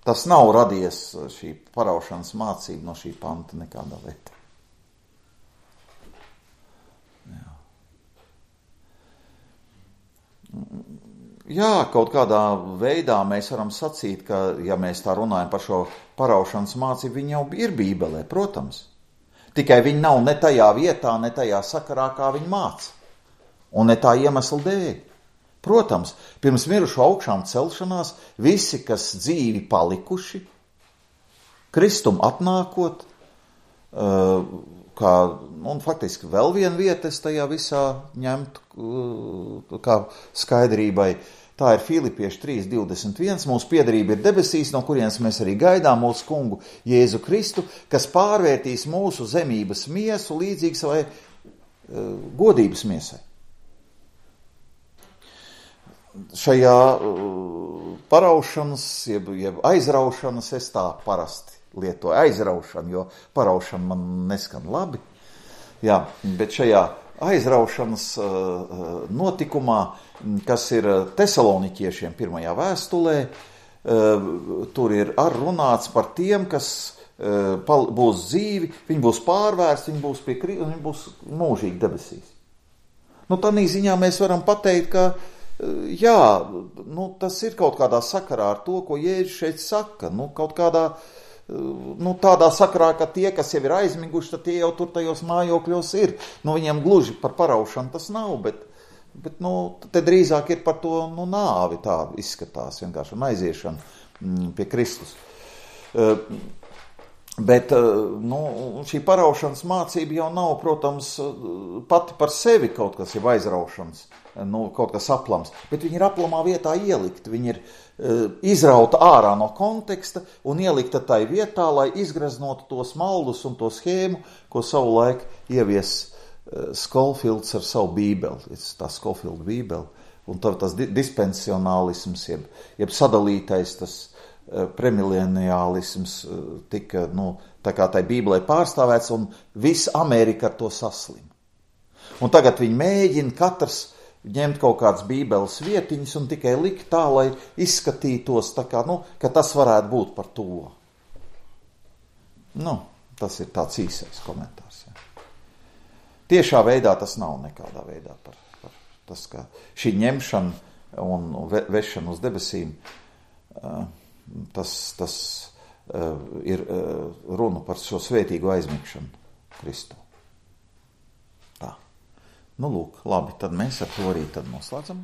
Tas nav radies šī paraušanas mācība no šī panta nekādā veidā. Jā. Jā, kaut kādā veidā mēs varam sacīt, ka, ja mēs tā runājam par šo paraušanas mācību, viņi jau ir Bībelē, protams. Tikai viņi nav ne tajā vietā, ne tajā sakarā, kā viņi māca. Un ne tā iemesla dēļ. Protams, pirms mirušu augšām celšanās visi, kas dzīvi palikuši, Kristum atnākot, kā, un faktiski vēl viena vieta es tajā visā ņemtu kā skaidrībai, tā ir Filipieši trīs divdesmit viens, mūsu piederība ir debesīs, no kurienes mēs arī gaidām mūsu kungu Jēzu Kristu, kas pārvērtīs mūsu zemības miesu līdzīgi savai godības miesai. Šajā uh, paraušanas, jeb, jeb aizraušanas, es tā parasti lietoju aizraušanu, jo paraušana man neskan labi. Jā, bet šajā aizraušanas uh, notikumā, kas ir Tesaloniķiešiem pirmajā vēstulē, uh, tur ir ar runāts par tiem, kas uh, pal, būs dzīvi, viņi būs pārvērsti, viņi būs pie Kristus, viņi būs mūžīgi debesīs. Nu, tādā ziņā mēs varam pateikt, ka jā, nu, tas ir kaut kādā sakarā ar to, ko Jēzus šeit saka. Nu, kaut kādā, nu, tādā sakarā, ka tie, kas jau ir aizmiguši, tad tie jau tur tajos mājokļos ir. Nu, viņiem gluži par paraušanu tas nav, bet, bet nu, te drīzāk ir par to, nu, nāvi tā izskatās, vienkārši un aiziešana pie Kristus. Bet, nu, šī paraušanas mācība jau nav, protams, pati par sevi kaut kas ir aizraušanas, nu, kaut kas aplams, bet viņi ir aplamā vietā ielikt, viņi ir uh, izrauta ārā no konteksta un ielikta tai vietā, lai izgraznotu tos maldus un to schēmu, ko savulaik ievies uh, Skolfields ar savu bībeli, tā Skolfielda bībeli, un tā, tas dispensionālisms, jeb, jeb sadalītais tas premileniālisms tika, nu, tā kā tai bībelē pārstāvēts, un visa Amerika ar to saslim. Un tagad viņi mēģina katrs ņemt kaut kādas bībeles vietiņas un tikai likt tā, lai izskatītos tā kā, nu, ka tas varētu būt par to. Nu, tas ir tāds īsais komentārs. Jā. Tiešā veidā tas nav nekādā veidā par, par tas, ka šī ņemšana un ve, vešana uz debesīm, uh, Tas, tas uh, ir uh, runa par šo svētīgo aizmigšanu Kristu. Tā. Nu, lūk, labi, tad mēs ar to arī tad noslēdzam.